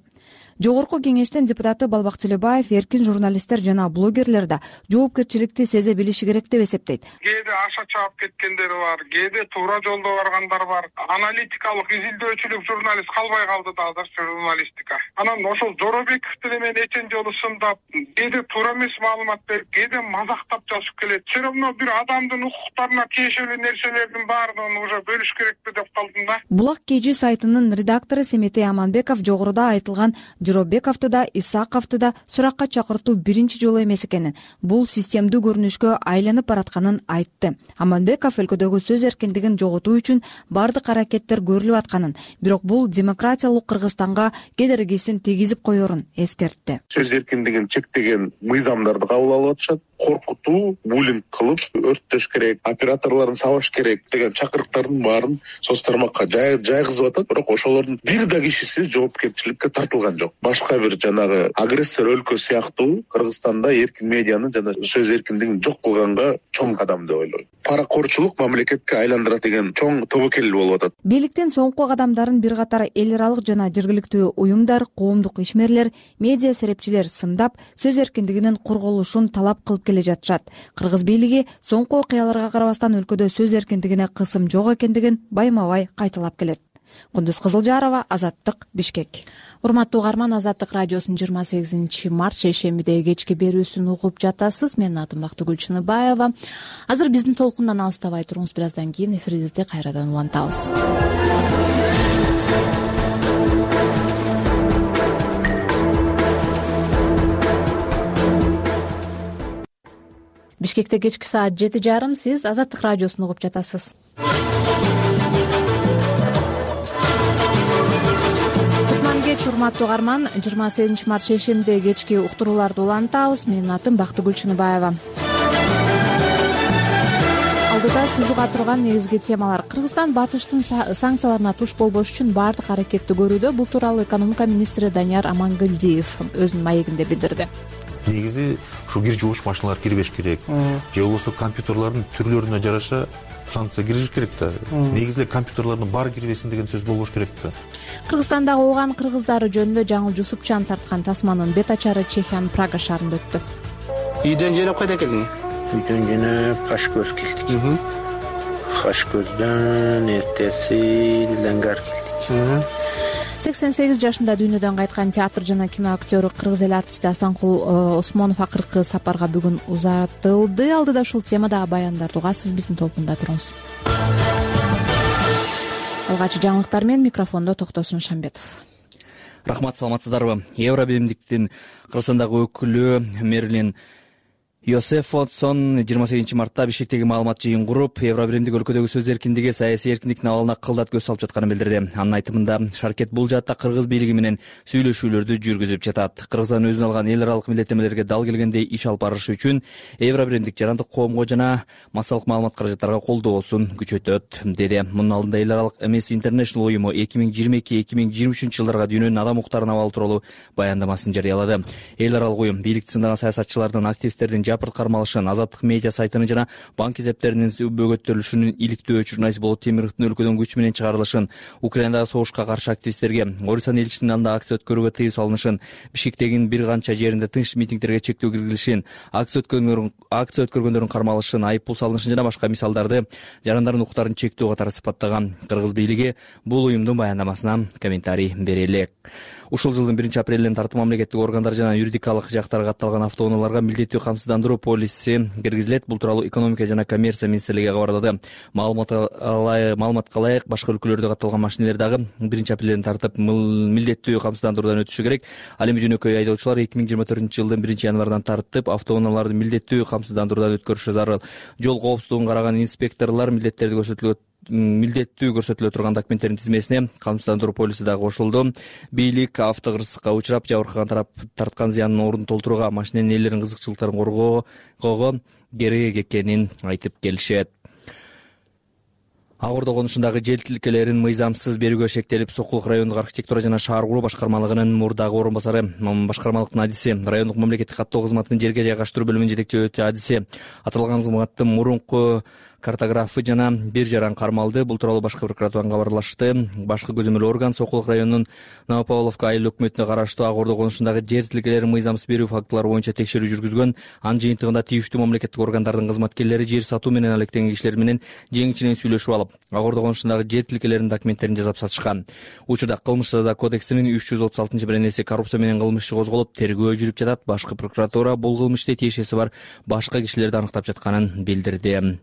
Жогорку кеңештин депутаты Балбак Төлөбаев эркин журналисттер жана блогерлер да жоопкерчиликти сезе билиши керек деп эсептейт. Кээде аша чаап кеткендери бар, кээде туура жолдо баргандар бар. Аналитикалык изилдөөчүлүк журналист калбай калды да азыр журналистика. Анан ошол Жоробековду эмен эчен жолу сындап, кээде туура эмес маалымат берип, кээде мазактап жазып келет. Все равно бир адамдын укуктарына тиешелүү нерселердин баардыгын уже бөлүш керекпи деп калдым да. Булак KG сайтынын редактору Семетей Аманбеков жогоруда айтылган Жоробековду да, Исаковду да суракка чакыртуу биринчи жолу эмес экенин, бул системдүү көрүнүшкө айланып баратканын айтты. Аманбеков өлкөдөгү сөз эркиндигин жоготуу үчүн бардык аракеттер көрүлүп атканын, бирок бул демократиялык Кыргызстанга кедергисин тийгизип коерун эскертти. Сөз эркиндигин чектеген мыйзамдарды кабыл алып атышат. коркутуу, буллинг кылып өрттөш керек, операторлорун сабаш керек деген чакырыктардын баарын соц тармакка жайгызып атат. Бирок ошолордун бир да кишиси жоопкерчиликке тартылган жок. Башка бир жанагы агрессор өлкө сыяктуу Кыргызстанда эркин медианы жана сөз эркиндигин жок кылганга чоң кадам деп ойлойм. Паракорчулук мамлекетке айландырат деген чоң тобокел болуп атат. Бийликтин соңку кадамдарын бир катар эл аралык жана жергиликтүү уюмдар, коомдук ишмерлер, медиа серепчилер сындап, сөз эркиндигинин корголушун талап кылып келе жатышат. Кыргыз бийлиги соңку окуяларга карабастан өлкөдө сөз эркиндигине кысым жок экендигин байма-бай кайталап келет. Кундуз Кызылжарова, Азаттык, Бишкек. Урматтуу угарман, Азаттык радиосунун 28 март шейшембидеги кечки берүүсүн угуп жатасыз. Менин атым Бактыгүл Чыныбаева. Азыр биздин толкундан алыстабай туруңуз, бир аздан кийин эфирибизди кайрадан улантабыз. Бишкекте кечки саат 7:30, сиз Азаттык радиосун угуп жатасыз. Урматтуу угарман, 28 март шейшембидеги кечки уктурууларды улантабыз. Менин атым Бактыгүл Чыныбаева. Алдыда сиз уга турган негизги темалар: Кыргызстан батыштын санкцияларына туш болбош үчүн баардык аракетти көрүүдө. Бул тууралуу экономика министри Данияр Амангелдиев өзүнүн маегинде билдирди. Негизи ушу кир жуугуч машиналар кирбеш керек, же болбосо компьютерлордун түрлөрүнө жараша санкция кириш керек да. Негизи компьютерлордун баары кирбесин деген сөз болбош керек да. Кыргызстандагы ооған кыргыздары жөнүндө жаңыл Жусупчан тарткан тасманын бет ачары Чехиянын Прага шаарында өттү. Үйдөн жөнөп кайда келдиң? Үйдөн жөнөп Кашкөз келдик. Кашкөздөн эртеси Ленгар келдик. 88 жашында дүйнөдөн кайткан театр жана кино актёру, кыргыз эл артисти Асанкул Осмонов акыркы сапарга бүгүн узатылды. Алдыда ушул темада баяндарды угасыз, биздин толкунда туруңуз. Алгачкы жаңылыктар менен микрофондо Токтосун Шамбетов. Рахмат, саламатсыздарбы? Евробиримдиктин Кыргызстандагы өкүлү Мерлин Йосефсон 28 мартта Бишкектеги маалымат жыйын куруп, Евробиримдик өлкөдөгү сөз эркиндиги, саясий эркиндиктин абалына кылдат көз салып жатканын билдирди. Анын айтымында, Шаркет бул жаатта кыргыз бийлиги менен сүйлөшүүлөрдү жүргүзүп жатат. Кыргызстан өзүнө алган эл аралык милдеттенмелерге дал келгендей иш алып барышы үчүн Евробиримдик жарандык коомго жана массалык маалымат каражаттарга колдоосун күчөтөт, деди. Мунун алдында эл аралык Amnesty International уюму 2022-2023 жылдарга дүйнөнүн адам укуктарынын абалы тууралуу баяндамасын жарыялады. Эл аралык уюм бийликти сындаган саясатчылардын, активисттердин жапырт кармалышын, Азаттык медиа сайтынын жана банк эсептеринин бөгөттөрүлүшүнүн иликтөө журналист Болот Темировдун өлкөдөн күч менен чыгарылышын, Украинадагы согушка каршы активисттерге Орусиянын элчисинин алдында акция өткөрүүгө тыюу салынышын, Бишкектегин бир канча жеринде тынч митингдерге чектөө киргизилишин, акция өткөргөндөрдүн кармалышын, айыппул салынышын жана башка мисалдарды жарандардын укуктарын чектөө катары сыпаттаган. Кыргыз бийлиги бул уюмдун баяндамасына комментарий бере элек. Ушул жылдын 1-апрелинен тартып мамлекеттик органдар жана юридикалык жактары катталган автоунааларга милдеттүү камсыздандыруу полиси киргизилет. Бул тууралуу экономика жана коммерция министрлиги кабарлады. Маалыматка ылайык, башка өлкөлөрдө катталган машинелер дагы 1-апрелден тартып милдеттүү камсыздандыруудан өтүшү керек. Ал эми жөнөкөй айдоочулар 2024-жылдын 1-январынан тартып автоунааларды милдеттүү камсыздандыруудан өткөрүшү зарыл. Жол коопсуздугун караган инспекторлор милдеттүү көрсөтүлө турган документтердин тизмесине камсыздандыруу полиси дагы кошулду. Бийлик автокырсыкка учурап, жабыркаган тарап тарткан зыянын ордун толтурууга, машиненин ээлеринин кызыкчылыктарын коргоого керек экенин айтып келишет. Ак Ордо конушундагы жер тилкелерин мыйзамсыз берүүгө шектелип, Сокулук райондук архитектура жана шаар куруу башкармалыгынын мурдагы орун басары, башкармалыктын адиси, райондук мамлекеттик каттоо кызматынын жерге жайгаштыруу бөлүмүнүн жетекчи адиси, аталган кызматтын мурунку картографы жана бир жаран кармалды. Бул тууралуу башкы прокуратурадан кабарлашты. Башкы көзөмөл орган Сокулук районунун Новопавловка айыл өкмөтүнө караштуу Ак Ордо конушундагы жер тилкелерин мыйзамсыз берүү фактылары боюнча текшерүү жүргүзгөн. Анын жыйынтыгында тийиштүү мамлекеттик органдардын кызматкерлери жер сатуу менен алектенген кишилер менен жең-ичинен сүйлөшүп алып, Ак Ордо конушундагы жер тилкелеринин документтерин жасап сатышкан. Учурда кылмыш жаза кодексинин 336-беренеси коррупция менен кылмыш иши козголуп, тергөө жүрүп жатат. Башкы прокуратура бул кылмышты тиешеси бар башка кишилерди аныктап жатканын билдирди.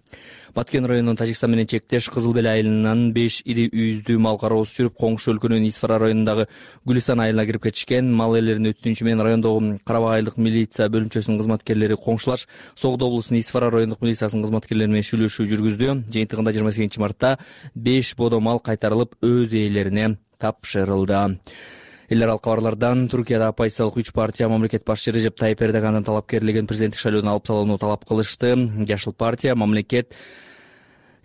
Баткен районунун Тажикстан менен чектеш Кызыл Бел айылынан 5 ири үйүздүү мал кароосу жүрүп, коңшу өлкөнүн Исфара районундагы Гүлистан айылына кирип кетишкен. Мал ээлеринин өтүнүчү менен райондогу Карабак айылдык милиция бөлүмчөсүнүн кызматкерлери коңшулаш Согдо облусунун Исфара райондук милициясынын кызматкерлери менен сүйлөшүү жүргүздү. Жыйынтыгында 28 мартта 5 бодо мал кайтарылып, өз ээлерине тапшырылды. эл аралык кабарлардан Туркияда оппозициялык 3 партия мамлекет башчы Режеп Тайип Эрдогандын талапкерлигин президенттик шайлоодон алып салууну талап кылышты. Жашыл партия, Мамлекет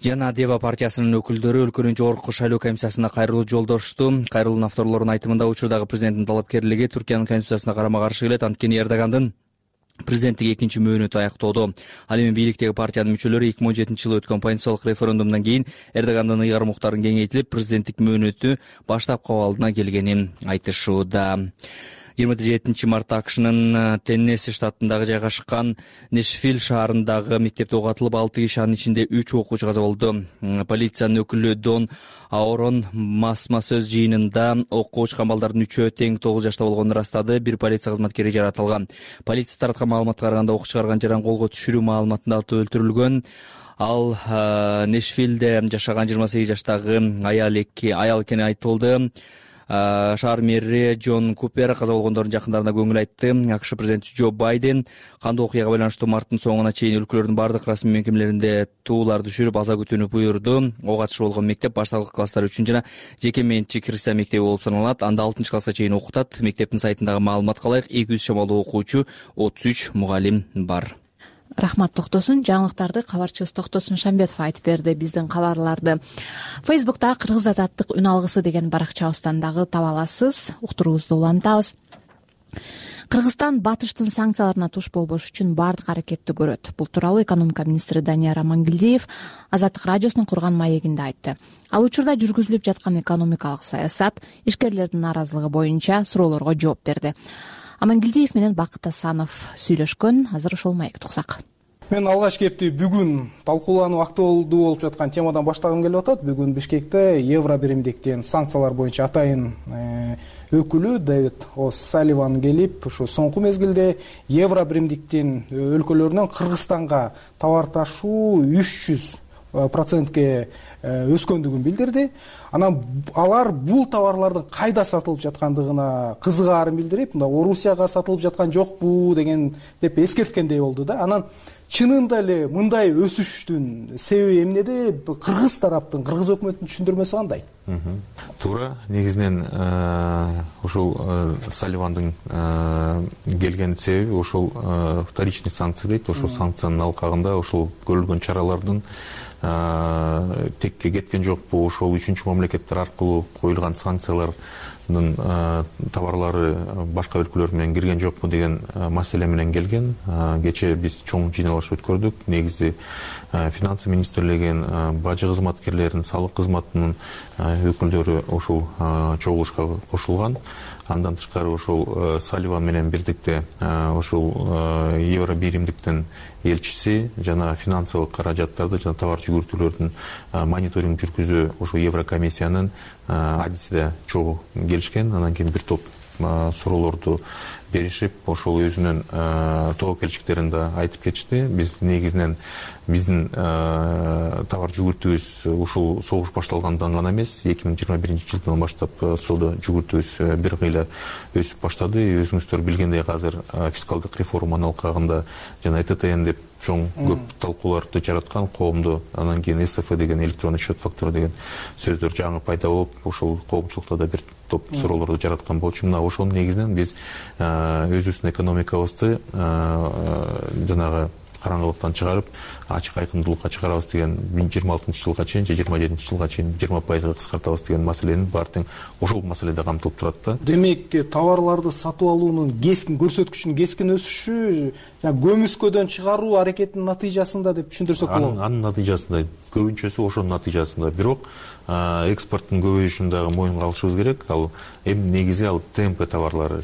жана Дева партиясынын өкүлдөрү өлкөнүн жогорку шайлоо комиссиясына кайрылуу жолдошту. Кайрылуунун авторлорунун айтымында учурдагы президенттин талапкерлиги Туркиянын конституциясына карама каршы келет. Анткени Эрдогандын президенттик экинчи мөөнөтү аяктоодо. Ал эми бийликтеги партиянын мүчөлөрү 2017-жылы өткөн конституциялык референдумдан кийин Эрдогандын ыйгарым укуктарын кеңейтилип, президенттик мөөнөтү баштапкы абалына келгенин айтышууда. 27 мартта АКШнын Теннесси штатындагы жайгашкан Нэшвилл шаарындагы мектепте ок атылып, 6 киши, анын ичинде 3 окуучу каза болду. Полициянын өкүлү Дон Аорон масма сөз жыйынында окко учкан балдардын 3-өө тең 9 жашта болгонун ырастады. Бир полиция кызматкери жаратылган. Полиция тараткан маалыматка караганда ок чыгарган жаран колго түшүрүү маалыматында атып өлтүрүлгөн. Ал Нэшвиллде жашаган 28 жаштагы аял экени айтылды. Шаар мэри Джон Купер каза болгондордун жакындарына көңүл айтты. АКШ президенти Джо Байден кандуу окуяга байланыштуу марттын соңуна чейин өлкөлөрдүн бардык расмий мекемелеринде туулар түшүрүп, аза күтүүнү буйрду. Ок атышы болгон мектеп башталгы класстар үчүн жана жеке менчик христиан мектеби болуп саналат. Анда 6-класска чейин окутат. Мектептин сайтындагы маалыматка ылайык 200 чамалуу окуучу, 33 мугалим бар. Рахмат Токтосун. Жаңылыктарды кабарчыбыз Токтосун Шамбетов айтып берди. Биздин кабарларды Фейсбукта Кыргыз азаттык үн алгысы деген баракчабыздан дагы таба аласыз. Уктуруубузду улантабыз. Кыргызстан батыштын санкцияларына туш болбош үчүн бардык аракетти көрөт. Бул тууралуу экономика министри Данияр Амангелдиев Азаттык радиосунун курган маегинде айтты. Ал учурда жүргүзүлүп жаткан экономикалык саясат, ишкерлердин нааразылыгы боюнча суроолорго жооп берди. Амангелдиев менен Бакыт Асанов сүйлөшкөн. Азыр ошол маекти уксак. Мен алгач кепти бүгүн талкуулануу актуалдуу болуп жаткан темадан баштагым келип атат. Бүгүн Бишкекте Евро биримдиктин санкциялар боюнча атайын өкүлү Дэвид О'Салливан келип, ушу соңку мезгилде Евро биримдиктин өлкөлөрүнөн Кыргызстанга товар ташуу 300%ке өскөндүгүн билдирди. Анан алар бул товарлардын кайда сатылып жаткандыгына кызыгаарын билдирип, мында Орусияга сатылып жаткан жокпу деген деп эскерткендей болду да. Анан чынында эле мындай өсүштүн себеби эмнеде? Кыргыз тараптын, кыргыз өкмөтүнүн түшүндүрмөсү кандай? Туура, негизинен ушул Салливандын келген себеби ушул вторичный санкция дейт. Ошол санкциянын алкагында ушул көрүлгөн чаралардын текке кеткен жокпу, ошол үчүнчү мамлекеттер аркылуу коюлган санкциялардын товарлары башка өлкөлөр менен кирген жокпу деген маселе менен келген. Кечээ биз чоң жыйналыш өткөрдүк. Негизи финансы министрлигинин, бажы кызматкерлеринин, салык кызматынын өкүлдөрү ушул чогулушка кошулган. Андан тышкары ошол Салливан менен бирдикте ошол Евро биримдиктин элчиси жана финансылык каражаттарды жана товар жүгүртүүлөрдүн мониторинг жүргүзүү ошол Еврокомиссиянын адисиде чогуу келишкен. Анан кийин бир топ суроолорду беришип, ошол өзүнүн тобокелчиктерин да айтып кетишти. Биз негизинен биздин товар жүгүртүүбүз ушул согуш башталгандан гана эмес, 2021-жылдан баштап соода жүгүртүүбүз бир кыйла өсүп баштады. Өзүңүздөр билгендей, азыр фискалдык реформанын алкагында жана ЭТТН деп чоң көп талкууларды жараткан коомду, анан кийин СФ деген электронный счет фактура деген сөздөр жаңы пайда болуп, ошол коомчулукта да бир топ суроолорду жараткан болчу. Мына ошол негизинен биз өзүбүздүн экономикабызды жанагы караңгылыктан чыгарып, ачык айкындуулукка чыгарабыз деген 26-жылга чейин же 27-жылга чейин 20% кыскартабыз деген маселенин баардыгы ошол маселеде камтылып турат да. Демек, товарларды сатып алуунун кескин көрсөткүчүнүн кескин өсүшү жана көмүскөдөн чыгаруу аракетинин натыйжасында деп түшүндүрсөк болот. Анын натыйжасында, көбүнчөсү ошонун натыйжасында. Бирок экспорттун көбөйүшүн дагы моюнга алышыбыз керек. Ал эми негизи ал ТМП товарлары.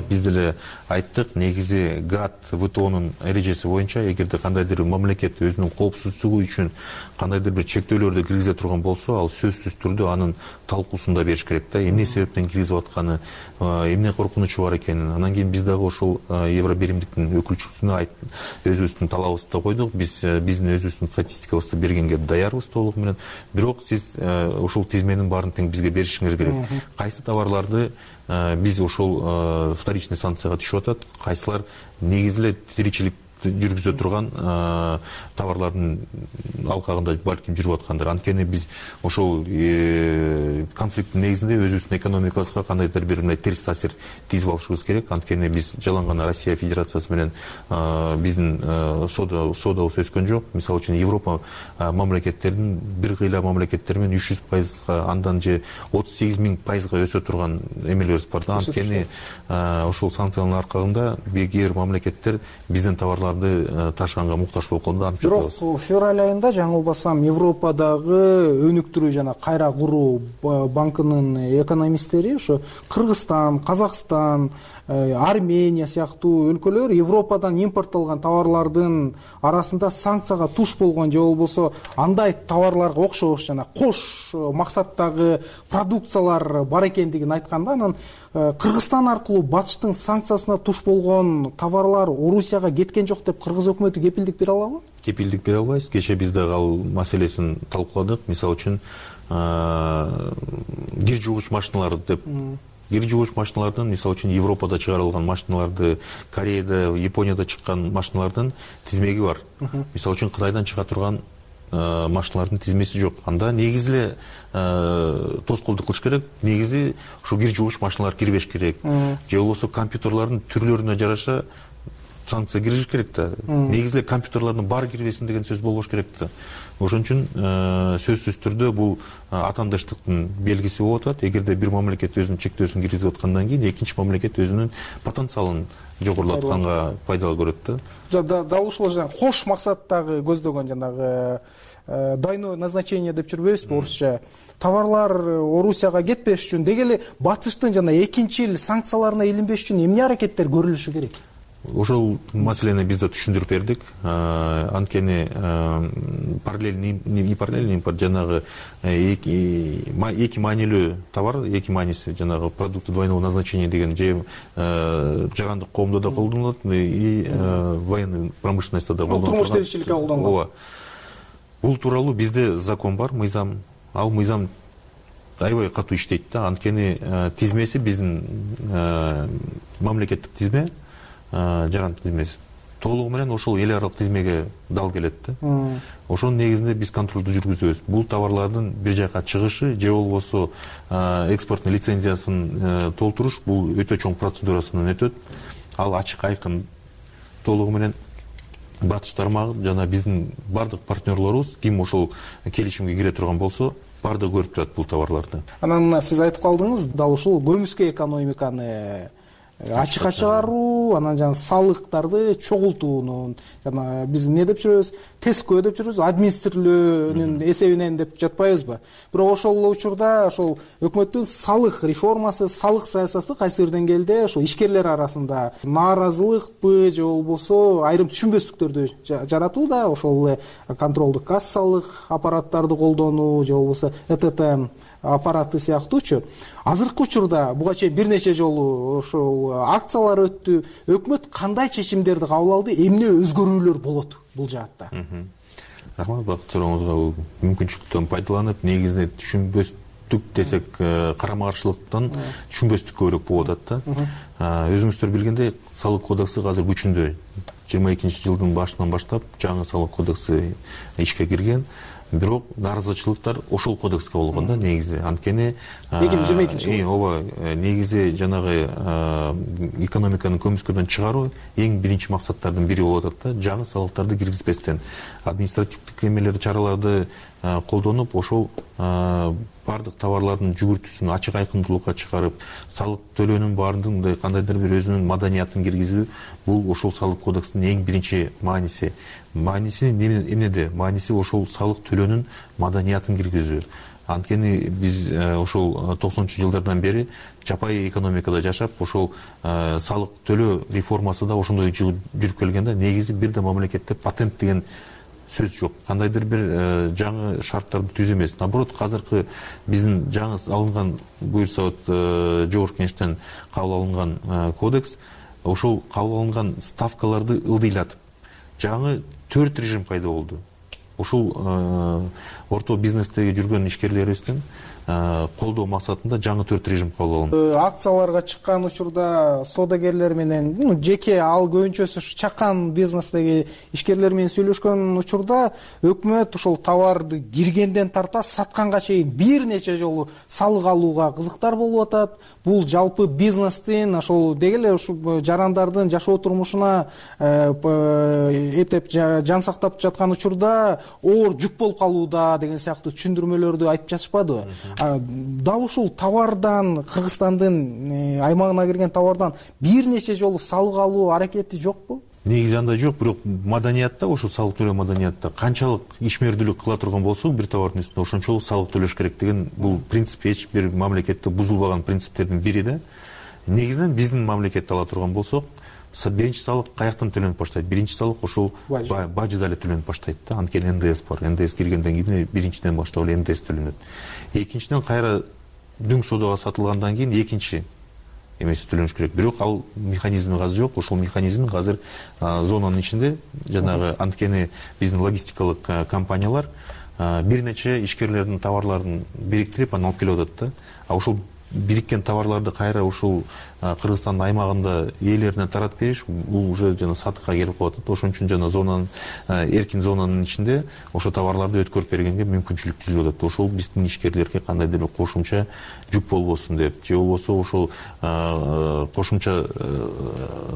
Биз деле айттык, негизи ГАТ, ВТОнун эрежеси боюнча эгерде кандайдыр мамлекет өзүнүн коопсуздугу үчүн кандайдыр бир чектөөлөрдү киргизе турган болсо, ал сөзсүз түрдө анын талкуусун да бериш керек да. Эмне себептен киргизип атканы, эмне коркунучу бар экенин. Анан кийин биз дагы ошол Евро биримдиктин өкүлчүлүгүнө өзүбүздүн талабыбызды койдук. Биздин өзүбүздүн статистикабызды бергенге даярбыз толук менен. Бирок сиз ушул тизменин баарын тең бизге беришиңер керек. Кайсы товарларды биз ошол вторичный санкцияга түшүп атат, кайсылар негизи эле тиричилик жүргүзө турган товарлардын алкагында балким жүрүп аткандыр. Анткени биз ошол конфликттин негизинде өзүбүздүн экономикабызга кандайдыр бир мындай терс таасир тийгизип алышыбыз керек. Анткени биз жалаң гана Россия Федерациясы менен биздин соодабыз өскөн жок. Мисалы үчүн Европа мамлекеттеринин бир кыйла мамлекеттер менен 300%, андан же 38.000% өсө турган эмелерибиз бар да. Анткени ошол санкциянын аркагында кээ бир мамлекеттер биздин товарларды ташыганга муктаж болуп калды. Бирок февраль айында жаңылбасам Европадагы өнүктүрүү жана кайра куруу банкынын экономисттери ошо Кыргызстан, Казакстан, Армения сыяктуу өлкөлөр Европадан импорттолгон товарлардын арасында санкцияга туш болгон же болбосо андай товарларга окшош жана кош максаттагы продукциялар бар экендигин айтканда, анан Кыргызстан аркылуу батыштын санкциясына туш болгон товарлар Орусияга кеткен жок деп кыргыз өкмөтү кепилдик бере алабы? Кепилдик бере албайбыз. Кечээ биз дагы ал маселесин талкууладык. Мисалы үчүн кир жуугуч машиналар деп кир жуугуч машиналардын, мисалы үчүн Европада чыгарылган машиналарды, Кореяда, Японияда чыккан машиналардын тизмеги бар. Мисалы үчүн Кытайдан чыга турган машиналардын тизмеси жок. Анда негизи эле тоскоолдук кылыш керек. Негизи ушу кир жуугуч машиналар кирбеш керек. Же болбосо компьютерлардын түрлөрүнө жараша санкция кириш керек да. Негизи эле компьютерлардын баары кирбесин деген сөз болбош керек да. Ошон үчүн сөзсүз түрдө бул атаандаштыктын белгиси болуп атат. Эгерде бир мамлекет өзүнүн чектөөсүн киргизип аткандан кийин экинчи мамлекет өзүнүн потенциалын жогорулатканга пайдалуу көрөт да. Дал ушул кош максаттагы көздөгөн жанагы двойное назначение деп жүрбөйбүзбү орусча? Товарлар Орусияга кетпеш үчүн деги эле батыштын жана экинчил санкцияларына илинбеш үчүн эмне аракеттер көрүлүшү керек? Ошол маселени биз да түшүндүрүп бердик. Анткени параллельный импорт жанагы эки маанилүү товар, эки мааниси жанагы продукты двойного назначения деген же жагандык коомдо да колдонулат и военный промышленностьта да колдонулат. Турмуш тиричиликке колдонулат. Ооба. Бул тууралуу бизде закон бар, мыйзам. Ал мыйзам аябай катуу иштейт да. Анткени тизмеси биздин мамлекеттик тизме, жагандык тизмеси толугу менен ошол эл аралык тизмеге дал келет да. Ошонун негизинде биз контролду жүргүзөбүз. Бул товарлардын бир жака чыгышы же болбосо экспорттун лицензиясын толтуруш бул өтө чоң процедурасынан өтөт. Ал ачык айкын толугу менен батыш тармагы жана биздин бардык партнерлорубуз ким ошол келишимге кире турган болсо баардыгы көрүп турат бул товарларды. Анан сиз айтып калдыңыз, дал ушул көмүскө экономиканы ачыкка чыгаруу, анан жана салыктарды чогултуунун, жана биз эмне деп жүрөбүз, тескөө деп жүрөбүз, администрирлөөнүн эсебинен деп жатпайбызбы? Бирок ошол учурда ошол өкмөттүн салык реформасы, салык саясаты кайсы бир деңгээлде ошол ишкерлер арасында нааразылыкпы же болбосо айрым түшүнбөстүктөрдү жаратууда, ошол эле контролдук кассалык аппараттарды колдонуу же болбосо ЭТТ аппараты сыяктуучу. Азыркы учурда буга чейин бир нече жолу ошол акциялар өттү. Өкмөт кандай чечимдерди кабыл алды? Эмне өзгөрүүлөр болот бул жаатта? Рахмат, бакыт сурооңузга. Мүмкүнчүлүктөн пайдаланып, негизинде түшүнбөстүк десек, карама каршылыктан түшүнбөстүк көбүрөөк болуп атат да. Өзүңүздөр билгендей, салык кодекси азыр күчүндө. 22-жылдын башынан баштап жаңы салык кодекси ишке кирген. Бирок нааразычылыктар ошол кодекске болгон да негизи. Анткени 2022 ооба, негизи жанагы экономиканы көмүскөдөн чыгаруу эң биринчи максаттардын бири болуп атат да. Жаңы салыктарды киргизбестен административдик эмелерди, чараларды колдонуп, ошол бардык товарлардын жүгүртүүсүн ачык айкындуулукка чыгарып, салык төлөөнүн баардыгында кандайдыр бир өзүнүн маданиятын киргизүү, бул ошол салык кодексинин эң биринчи мааниси. Мааниси эмнеде? Мааниси ошол салык төлөөнүн маданиятын киргизүү. Анткени биз ошол 90-жылдардан бери жапай экономикада жашап, ошол салык төлөө реформасы да ошондой жүрүп келген да. Негизи бир да мамлекетте патент деген сөз жок. Кандайдыр бир жаңы шарттарды түзүү эмес. Наоборот, азыркы биздин жаңы алынган буюрса жогорку кеңештен кабыл алынган кодекс ошол кабыл алынган ставкаларды ылдыйлатып, жаңы 4 режим пайда болду. Ошол орто бизнестеги жүргөн ишкерлерибиздин колдоо максатында жаңы 4 режим кабыл алынды. Акцияларга чыккан учурда соодагерлер менен жеке ал көбүнчөсү чакан бизнестеги ишкерлер менен сүйлөшкөн учурда өкмөт ушул товарды киргенден тарта сатканга чейин бир нече жолу салык алууга кызыктар болуп атат. Бул жалпы бизнестин ошол деги эле ушул жарандардын жашоо турмушуна эптеп жан сактап жаткан учурда оор жүк болуп калууда деген сыяктуу түшүндүрмөлөрдү айтып жатышпадыбы? Дал ушул товардан, Кыргызстандын аймагына кирген товардан бир нече жолу салык алуу аракети жокпу? Негизи андай жок, бирок маданиятта, ошол салык төлөө маданиятта канчалык ишмердүүлүк кыла турган болсок, бир товардын үстүнө ошончолук салык төлөш керек деген бул принцип эч бир мамлекетте бузулбаган принциптердин бири да. Негизинен биздин мамлекетте ала турган болсок, биринчи салык каяктан төлөнүп баштайт? Биринчи салык ошол бажыда эле төлөнүп баштайт да. Анткени НДС бар. НДС киргенден кийин биринчиден баштап эле НДС төлөнөт. Экинчиден кайра дүң соодага сатылгандан кийин экинчи эмеси төлөнүш керек. Бирок ал механизми азыр жок. Ошол механизм азыр зонанын ичинде жанагы анткени биздин логистикалык компаниялар бир нече ишкерлердин товарларын бириктирип анан алып келип атат да. А ошол бириккен товарларды кайра ушул Кыргызстандын аймагында ээлерине таратып бериш бул уже жана сатыкка келип калат. Ошон үчүн жана зонанын эркин зонанын ичинде ошол товарларды өткөрүп бергенге мүмкүнчүлүк түзүлүп атат. Ошол биздин ишкерлерге кандайдыр бир кошумча жүк болбосун деп, же болбосо ошол кошумча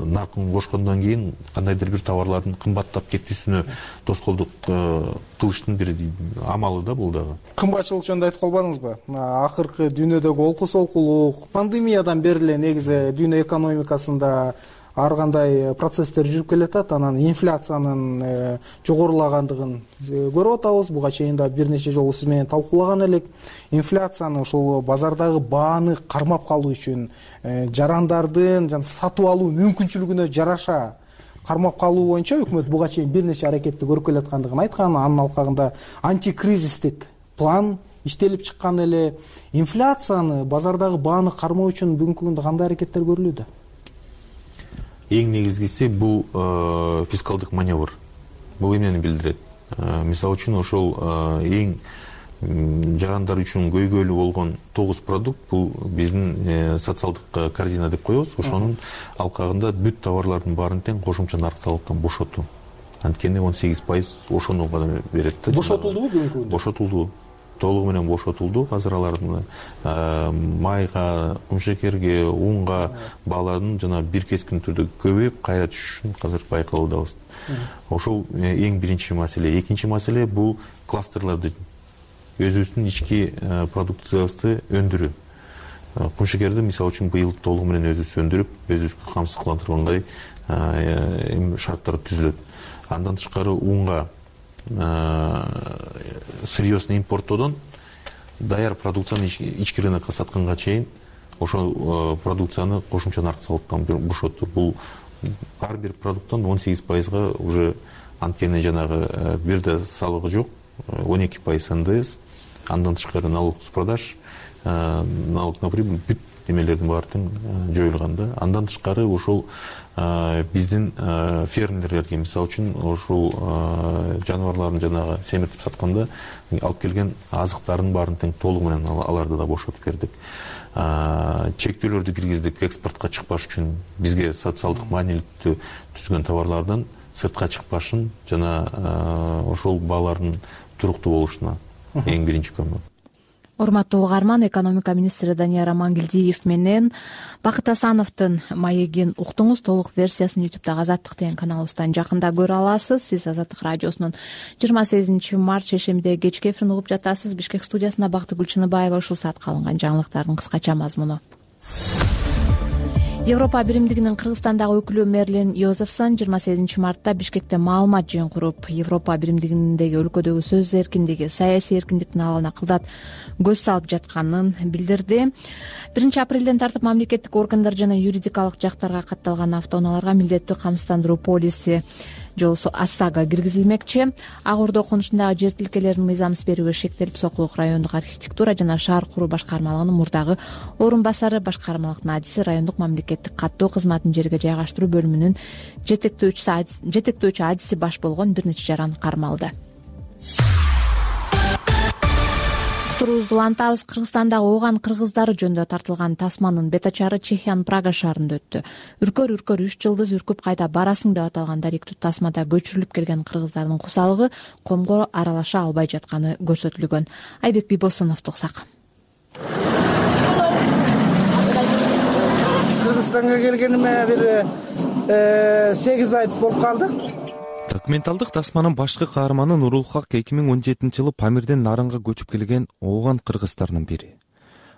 наркын кошкондон кийин кандайдыр бир товарлардын кымбаттап кетүүсүнө тоскоолдук кылыштын бир амалы да бул дагы. Кымбатчылык жөнүндө айтып калбадыңызбы? Акыркы дүйнөдөгү олку солкулук, пандемиядан бери эле негизи дүйнө экономикасында ар кандай процесстер жүрүп келатат. Анан инфляциянын жогорулагандыгын көрүп атабыз. Буга чейин да бир нече жолу сиз менен талкуулаган элек. Инфляцияны ошол базардагы бааны кармап калуу үчүн жарандардын сатып алуу мүмкүнчүлүгүнө жараша кармап калуу боюнча өкмөт буга чейин бир нече аракетти көрүп келаткандыгын айткан. Анын алкагында антикризистик план иштелип чыккан эле. Инфляцияны, базардагы бааны кармоо үчүн бүгүнкү күндө кандай аракеттер көрүлүүдө? Эң негизгиси бул фискалдык маневр. Бул эмнени билдирет? Мисалы үчүн ошол эң жарандар үчүн көйгөйлүү болгон 9 продукт бул биздин социалдык корзина деп коебуз. Ошонун алкагында бүт товарлардын баарын тең кошумча нарк салыктан бошотуу. Анткени 18% ошону гана берет да. Бошотулдубу бүгүнкү күндө? Бошотулду. Толугу менен бошотулду. Азыр алардын майга, кумшекерге, унга баалардын жана бир кескин түрдө көбөйүп кайра түшүшүн азыр байкалуудабыз. Ошол эң биринчи маселе. Экинчи маселе бул кластерларды өзүбүздүн ички продукциябызды өндүрүү. Кумшекерди мисалы үчүн быйыл толугу менен өзүбүз өндүрүп, өзүбүзгө камсыздандыргандай шарттар түзүлөт. Андан тышкары унга сырьёсын импорттоодон даяр продукцияны ички рынокко сатканга чейин ошол продукцияны кошумча нарк салыктан бошотту. Бул ар бир продукттан 18%га уже анткени жанагы бирде салыгы жок, 12% НДС, андан тышкары налог с продаж, налог на прибыль, бүт немелердин баары тең жоюлган да. Андан тышкары ошол биздин фермерлерге мисалы үчүн ошол жаныбарларын жанагы семиртип сатканда алып келген азыктардын баарын тең толугу менен аларды да бошотуп бердик. Чектөөлөрдү киргиздик экспортко чыкпаш үчүн бизге социалдык маанилүүлүктү түзгөн товарлардын сыртка чыкпашын жана ошол баалардын туруктуу болушуна эң биринчи көмөк. Урматтуу угарман, экономика министри Данияр Амангелдиев менен Бакыт Асановдун маегин уктуңуз. Толук версиясын YouTube'дагы Азаттык деген каналыбыздан жакында көрө аласыз. Сиз Азаттык радиосунун 28 март шейшембиде кечки эфирин угуп жатасыз. Бишкек студиясында Бактыгүл Чыныбаева. Ушул саатка алынган жаңылыктардын кыскача мазмуну. Европа биримдигинин Кыргызстандагы өкүлү Мерлин Йозефсон 28 мартта Бишкекте маалымат жыйын куруп, Европа биримдигиндеги өлкөдөгү сөз эркиндиги, саясий эркиндиктин абалына кылдат көз салып жатканын билдирди. 1 апрелден тартып мамлекеттик органдар жана юридикалык жактарга катталган автоунааларга милдеттүү камсыздандыруу полиси жолусу АСАГа киргизилмекчи. Ак Ордо конушундагы жер тилкелерин мыйзамсыз берүүгө шектелип, Сокулук райондук архитектура жана шаар куруу башкармалыгынын мурдагы орун басары, башкармалык надиси, райондук мамлекеттик каттоо кызматын жерге жайгаштыруу бөлүмүнүн жетектөөчү адиси баш болгон бир нече жаран кармалды. Уктуруубузду улантабыз. Кыргызстандагы ооган кыргыздары жөнүндө тартылган тасманын бетачары Чехиянын Прага шаарында өттү. Үркөр 3 жылдыз үркүп кайда барасың деп аталган даректүү тасмада көчүрүлүп келген кыргыздардын кусалыгы комго аралаша албай жатканы көрсөтүлгөн. Айбек Бибосуновду уксак. Кыргызстанга келгениме бир 8 ай болуп калды. Документалдык тасманын башкы каарманы Нурулхак 2017-жылы Памирден Нарынга көчүп келген ооган кыргыздарынын бири.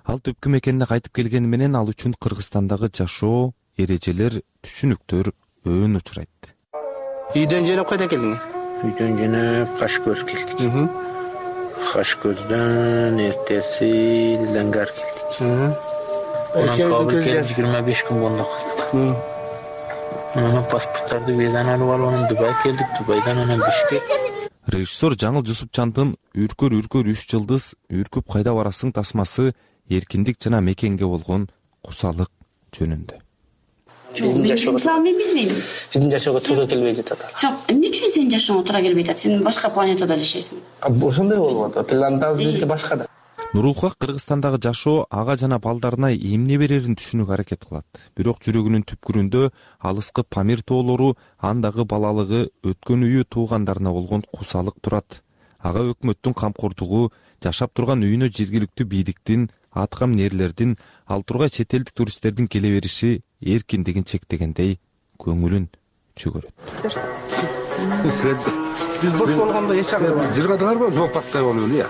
Ал төпкү мекенине кайтып келгени менен ал үчүн Кыргызстандагы жашоо, эрежелер, түшүнүктөр өөн учурайт. Үйдөн жөнөп кайда келдиңер? Үйдөн жөнөп Кашкөз келдик. Кашкөздөн эртеси Ленгар келдик. Кабыл келип 25 күн болду калдык. Паспорттарды визаны алып алып, Дубай келдик, Дубайдан анан Бишкек. Режиссер Жаңыл Жусупчандын Үркөр 3 жылдыз үркүп кайда барасың тасмасы эркиндик жана мекенге болгон кусалык жөнүндө. Мен билбейм. Сиздин жашоого туура келбей жатат. Жок, эмне үчүн сенин жашооңо туура келбей жатат? Сен башка планетада жашайсың. Ошондой болуп атат. Планетабыз бизге башка да. Нурулхак Кыргызстандагы жашоо ага жана балдарына эмне берерин түшүнүүгө аракет кылат. Бирок жүрөгүнүн түпкүрүндө алыскы Памир тоолору, андагы балалыгы, өткөн үйү, туугандарына болгон кусалык турат. Ага өкмөттүн камкордугу, жашап турган үйүнө жергиликтүү бийликтин, аткам нээрлердин, ал тургай чет элдик туристтердин келе бериши эркиндигин чектегендей көңүлүн чөгөрөт. Биз бош болгондо эч жыргадыңарбы? Жок, паттай болуп эле.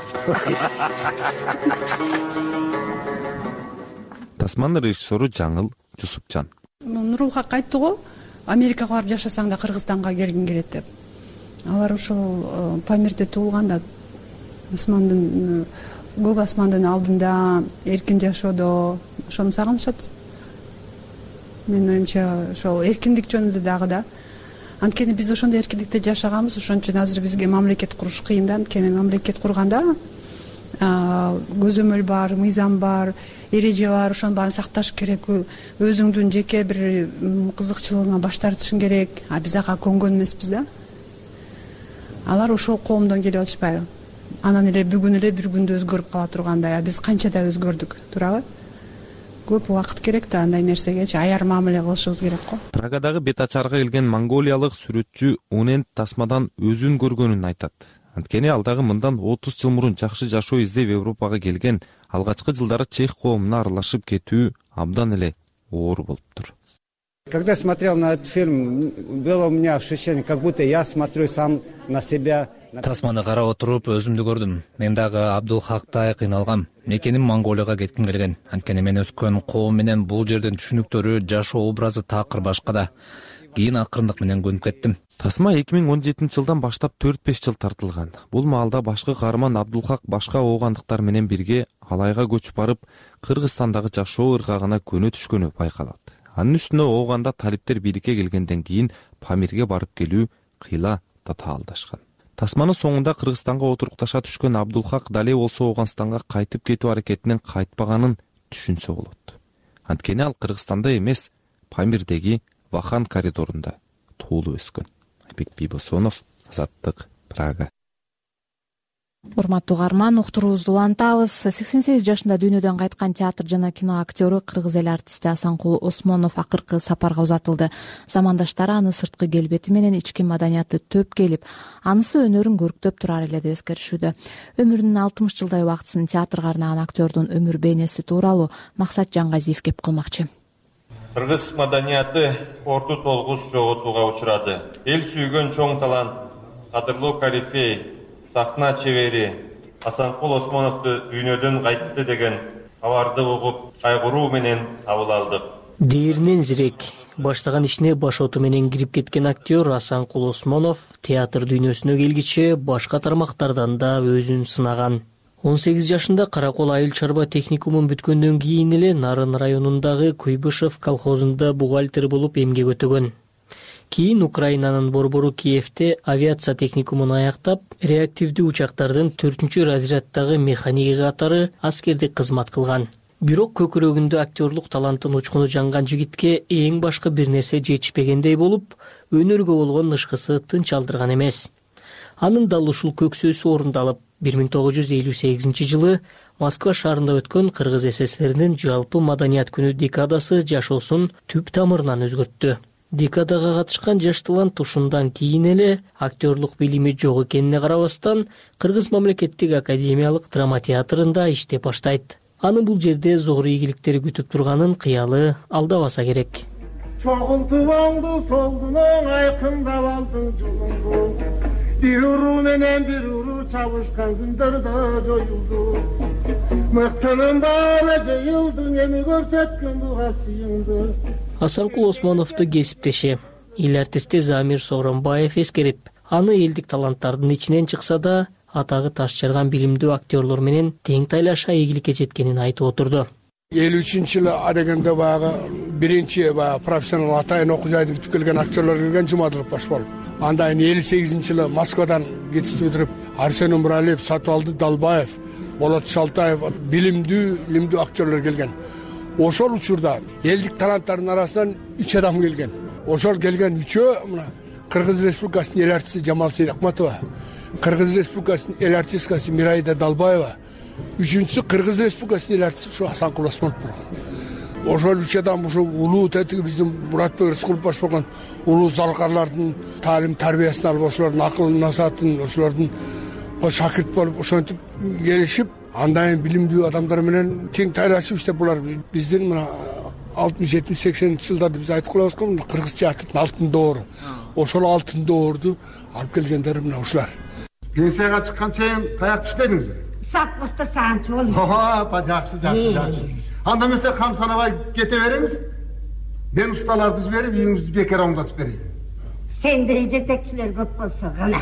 Тасман режиссеру Жаңыл Жусупчан. Нурулхак айтты го, Америкага барып жашасаң да Кыргызстанга келгиң келет деп. Алар ошол Памирде туулган да, асмандын, көк асмандын алдында эркин жашоодо ошону сагынышат. Менин оюмча ошол эркиндик жөнүндө дагы да. Анткени биз ошондой эркиндикте жашаганбыз, ошон үчүн азыр бизге мамлекет куруш кыйын да. Анткени мамлекет курганда көзөмөл бар, мыйзам бар, эреже бар, ошонун баарын сакташ керек. Өзүңдүн жеке бир кызыкчылыгыңа баш тартышың керек. Биз ага көнгөн эмеспиз да. Алар ошол коомдон келип атышпайбы? Анан эле бүгүн эле бир күндө өзгөрүп кала тургандай. Биз канчада өзгөрдүк, туурабы? Көп убакыт керек да андай нерсегечи аяр мамиле кылышыбыз керек го. Прагадагы бетачарга келген монголиялык сүрөтчү Унен тасмадан өзүн көргөнүн айтат. Анткени ал дагы мындан 30 жыл мурун жакшы жашоо издеп Европага келген, алгачкы жылдары чех коомуна аралашып кетүү абдан эле оор болуптур. Когда смотрел на этот фильм, было у меня ощущение, как будто я смотрю сам на себя. Тасманы карап отуруп өзүмдү көрдүм. Мен дагы Абдулхактай кыйналгам. Мекеним Монголияга кетким келген. Анткени мен өскөн коом менен бул жердин түшүнүктөрү, жашоо образы такыр башка да. Кийин акырындык менен көнүп кеттим. Тасма 2017-жылдан баштап 4-5 жыл тартылган. Бул маалда башкы каарман Абдулхак башка оогандыктар менен бирге Алайга көчүп барып, Кыргызстандагы жашоо ыргагына көнө түшкөнү байкалат. Анын үстүнө ооганда талиптер бийликке келгенден кийин Памирге барып келүү кыйла татаалдашкан. Тасманын соңунда Кыргызстанга отурукташа түшкөн Абдулхак дале болсо Ооганстанга кайтып кетүү аракетинен кайтпаганын түшүнсө болот. Анткени ал Кыргызстанда эмес, Памирдеги Вахан коридорунда туулуп өскөн. Айбек Бибосонов, Азаттык, Прага. Урматтуу угарман, уктуруубузду улантабыз. 88 жашында дүйнөдөн кайткан театр жана кино актёру, кыргыз эл артисти Асанкул Осмонов акыркы сапарга узатылды. Замандаштары аны сырткы келбети менен ички маданияты төп келип, анысы өнөрүн көрктөп турар эле деп эскеришүүдө. Өмүрүнүн 60 жылдай убактысын театрга арнаган актёрдун өмүр бейнеси тууралуу Максат Жаңгазиев кеп кылмакчы. Кыргыз маданияты орту толгус жоготууга учурады. Эл сүйгөн чоң талант, кадырлуу корифей, сахна чебери Асанкул Осмоновду дүйнөдөн кайтты деген кабарды угуп, кайгыруу менен кабыл алдык. Дээринен зирек баштаган ишине башоту менен кирип кеткен актер Асанкул Осмонов театр дүйнөсүнө келгиче башка тармактардан да өзүн сынаган. 18 жашында Каракол айыл чарба техникумун бүткөндөн кийин эле Нарын районундагы Куйбышев колхозунда бухгалтер болуп эмгек өтөгөн. Кийин Украинанын борбору Киевде авиация техникумун аяктап, реактивдүү учактардын 4-разряддагы механиги катары аскерде кызмат кылган. Бирок көкүрөгүндө актерлук талантын учкуну жанган жигитке эң башкы бир нерсе жетишпегендей болуп, өнөргө болгон ышкысы тынч алдырган эмес. Анын дал ушул көксөөсү орундалып, 1958 Москва шаарында өткөн Кыргыз СССРинин жалпы маданият күнү декадасы жашоосун түп тамырынан өзгөрттү. Декадага катышкан жаш талант ушундан кийин эле актерлук билими жок экенине карабастан Кыргыз мамлекеттик академиялык драма театрында иштеп баштайт. Аны бул жерде зор ийгиликтер күтүп турганын кыялы алдабаса керек. Чогултуп оңду солдуну айкындап алдың жолуңду. Бир уруу менен бир уруу чабышкан күндөрдө жоюлду. Мыктынын баары жыйылды, эми көрсөткөн буга сыйыңды. Асанкул Осмоновду кесиптеши эл артисти Замир Сооронбаев эскерип, аны элдик таланттардын ичинен чыкса да, атагы таш жарган билимдүү актерлор менен тең тайлаша ийгиликке жеткенин айтып отурду. 53-жылы адегенде баягы биринчи профессионал атайын окуу жайды бүтүп келген актерлор келген Жумадылов баш болуп. Андан 58-жылы Москвадан жетиштип өтүрүп Арсен Умралиев, Сатыбалды Далбаев, Болот Шалтаев билимдүү актерлор келген. Ошол учурда элдик таланттардын арасынан 3 адам келген. Ошол келген 3-өө мына Кыргыз Республикасынын эл артисти Жамал Сейдакматова, Кыргыз Республикасынын эл артисткасы Мирайда Далбаева, 3-сү Кыргыз Республикасынын эл артисти ушу Асанкул Осмонов болгон. Ошол 3 адам ушу улуу тетиги биздин Муратбек Рыскулов баш болгон улуу залкарлардын таалим тарбиясын алып, ошолордун акыл насаатын, ошолордун шакирт болуп, ошентип келишип, андан билимдүү адамдар менен тең тайлашып иштеп, булар биздин мына 60-70-80 жылдарда биз айтып коебуз го, Кыргыз театрынын алтын доору. Ошол алтын доорду алып келгендер мына ушулар. Пенсияга чыккан чейин каяк иштедиңиздер? Саппоста саанчы болуп. Жакшы. Анда эмесе кам санабай кете бериңиз. Мен усталарды жиберип, үйүңүздү бекер оңдотуп берейин. Сендей жетекчилер көп болсо гана.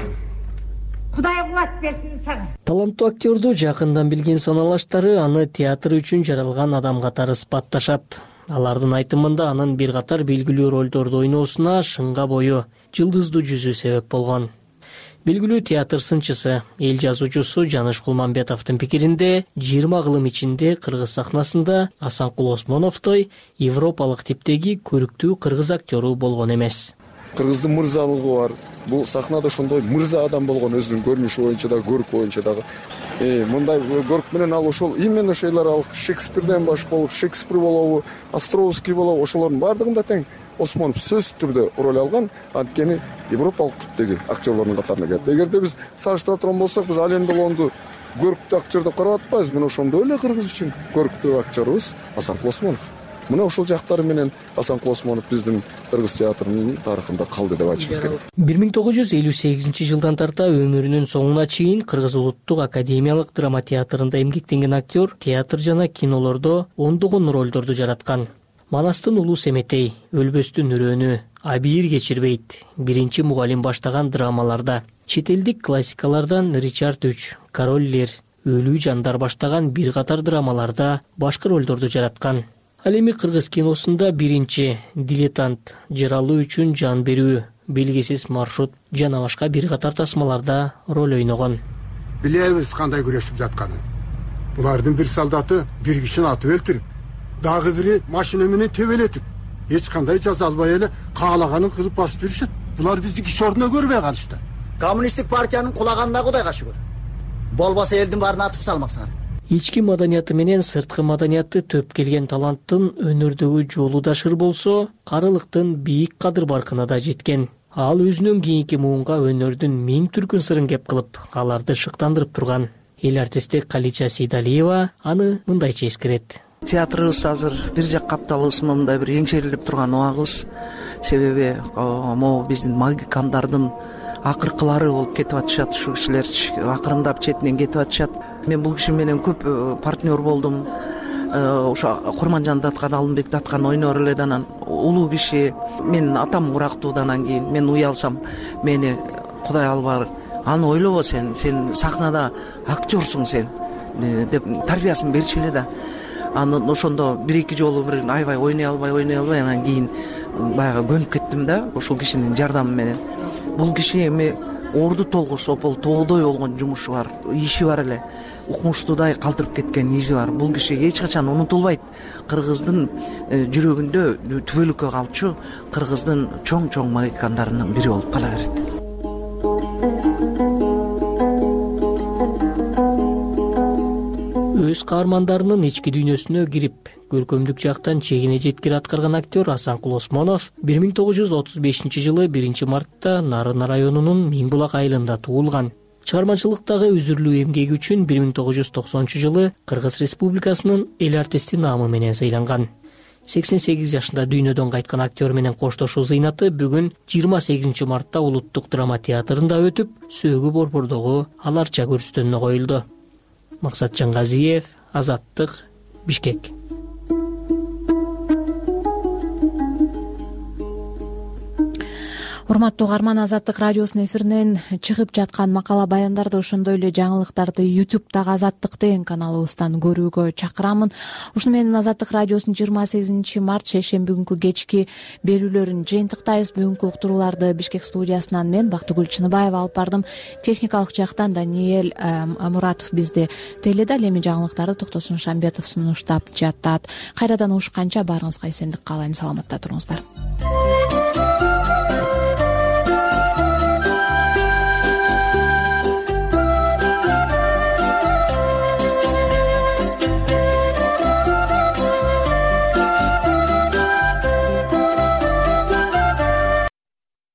Кудай кубат берсин сага. Таланттуу актерду жакындан билген саналаштары аны театр үчүн жаралган адам катары сыпатташат. Алардын айтымында анын бир катар белгилүү ролдорду ойноосуна шыңга бою, жылдыздуу жүзү себеп болгон. Белгилүү театр сынчысы, эл жазуучусу Жаныш Кулманбетовдун пикиринде 20 кылым ичинде кыргыз сахнасында Асанкул Осмоновдой европалык типтеги көрүктүү кыргыз актеру болгон эмес. Кыргыздын мырзалыгы бар. Бул сахнада ошондой мырза адам болгон, өзүнүн көрүнүшү боюнча да, көрк боюнча дагы. Мындай көрк менен ал ошол именно ошолор ал Шекспирден баш болуп, Шекспир болобу, Островский болобу, ошолордун баардыгында тең Осмонов сөзсүз түрдө роль алган, анткени европалык типтеги актерлордун катарына кирет. Эгерде биз салыштыра турган болсок, биз Ален Делонду көрктүү актер деп карап атпайбыз. Мына ошондой эле кыргыз үчүн көрктүү актерибиз Асанкул Осмонов. Мына ошол жактары менен Асанкул Осмонов биздин кыргыз театрынын тарыхында калды деп айтышыбыз керек. 1958 тарта өмүрүнүн соңуна чейин Кыргыз улуттук академиялык драма театрында эмгектенген актер театр жана кинолордо ондогон ролдорду жараткан. Манастын улуу Семетей, Өлбөстүн үрөөнү, Абийир кечирбейт, биринчи мугалим баштаган драмаларда, чет элдик классикалардан Ричард III, Король Лир, Өлүү жандар баштаган бир катар драмаларда башкы ролдорду жараткан. Ал эми кыргыз киносунда биринчи Дилетант, Жаралуу үчүн жан берүү, Белгисиз маршрут жана башка бир катар тасмаларда роль ойногон. Билебиз кандай күрөшүп жатканын. Булардын бир солдаты бир кишини атып өлтүрүп, дагы бири машина менен төбөлөтүп, эч кандай жаза албай эле каалаганын кылып басып жүрүшөт. Булар бизди киши ордуна көрбөй калышты. Коммунисттик партиянын кулаганына Кудайга шүгүр. Болбосо элдин баарын атып салмаксыңар. Ички маданияты менен сырткы маданияты төп келген таланттын өнөрдөгү жолу да шыр болсо, карылыктын бийик кадыр баркына да жеткен. Ал өзүнөн кийинки муунга өнөрдүн миң түркүн сырын кеп кылып, аларды шыктандырып турган. Эл артисти Калича Сейдалиева аны мындайча эскерет. Театрыбыз азыр бир жак капталыбыз мындай бир эңшерилип турган убагыбыз. Себеби могу биздин магикандардын акыркылары болуп кетип атышат, ушу кишилер акырындап четинен кетип атышат. Мен бул киши менен көп партнер болдум. Ошо Курманжан Даткан, Алымбек Даткан ойнор эле, анан улуу киши. Мен атам урактуудан кийин мен уялсам, мени Кудай албар. Аны ойлобо сен сахнада актерсуң сен деп тарбиясын берчү эле да. Анан ошондо бир-эки жолу бир аябай ойной албай, анан кийин баягы көнүп кеттим да ошол кишинин жардамы менен. Бул киши эми орду толгус опол тоодой болгон жумушу бар, иши бар эле. Укмуштуудай калтырып кеткен изи бар. Бул киши эч качан унутулбайт. Кыргыздын жүрөгүндө түбөлүккө калчу кыргыздын чоң магикандарынын бири болуп кала берет. өз каармандарынын ички дүйнөсүнө кирип көркөмдүк жактан чегине жеткире аткарган актер Асанкул Осмонов 1935 жылы 1 мартта Нарын районунун Миңбулак айылында туулган. Чыгармачылыктагы үзүрлүү эмгеги үчүн 1990-жылы Кыргыз Республикасынын эл артисти наамы менен сыйланган. 88 жашында дүйнөдөн кайткан актер менен коштошуу зыйнаты бүгүн 28 мартта Улуттук драма театрында өтүп, Сөөгү борбордогу аларча көрсөтүүнү коюлду. Максатжан Газиев, Азаттык, Бишкек. Урматтуу угарман, Азаттык радиосунун эфиринен чыгып жаткан макала баяндарды, ошондой эле жаңылыктарды YouTube'дагы Азаттык деген каналыбыздан көрүүгө чакырамын. Ушуну менен Азаттык радиосунун 28 март шейшемби күнкү кечки берүүлөрүн жыйынтыктайбыз. Бүгүнкү уктурууларды Бишкек студиясынан мен Бактыгүл Чыныбаева алып бардым. Техникалык жактан Даниэль Муратов бизди тейледи. Ал эми жаңылыктарды Токтосун Шамбетов сунуштап жатат. Кайрадан угушканча баарыңызга эсендик каалайм. Саламатта туруңуздар.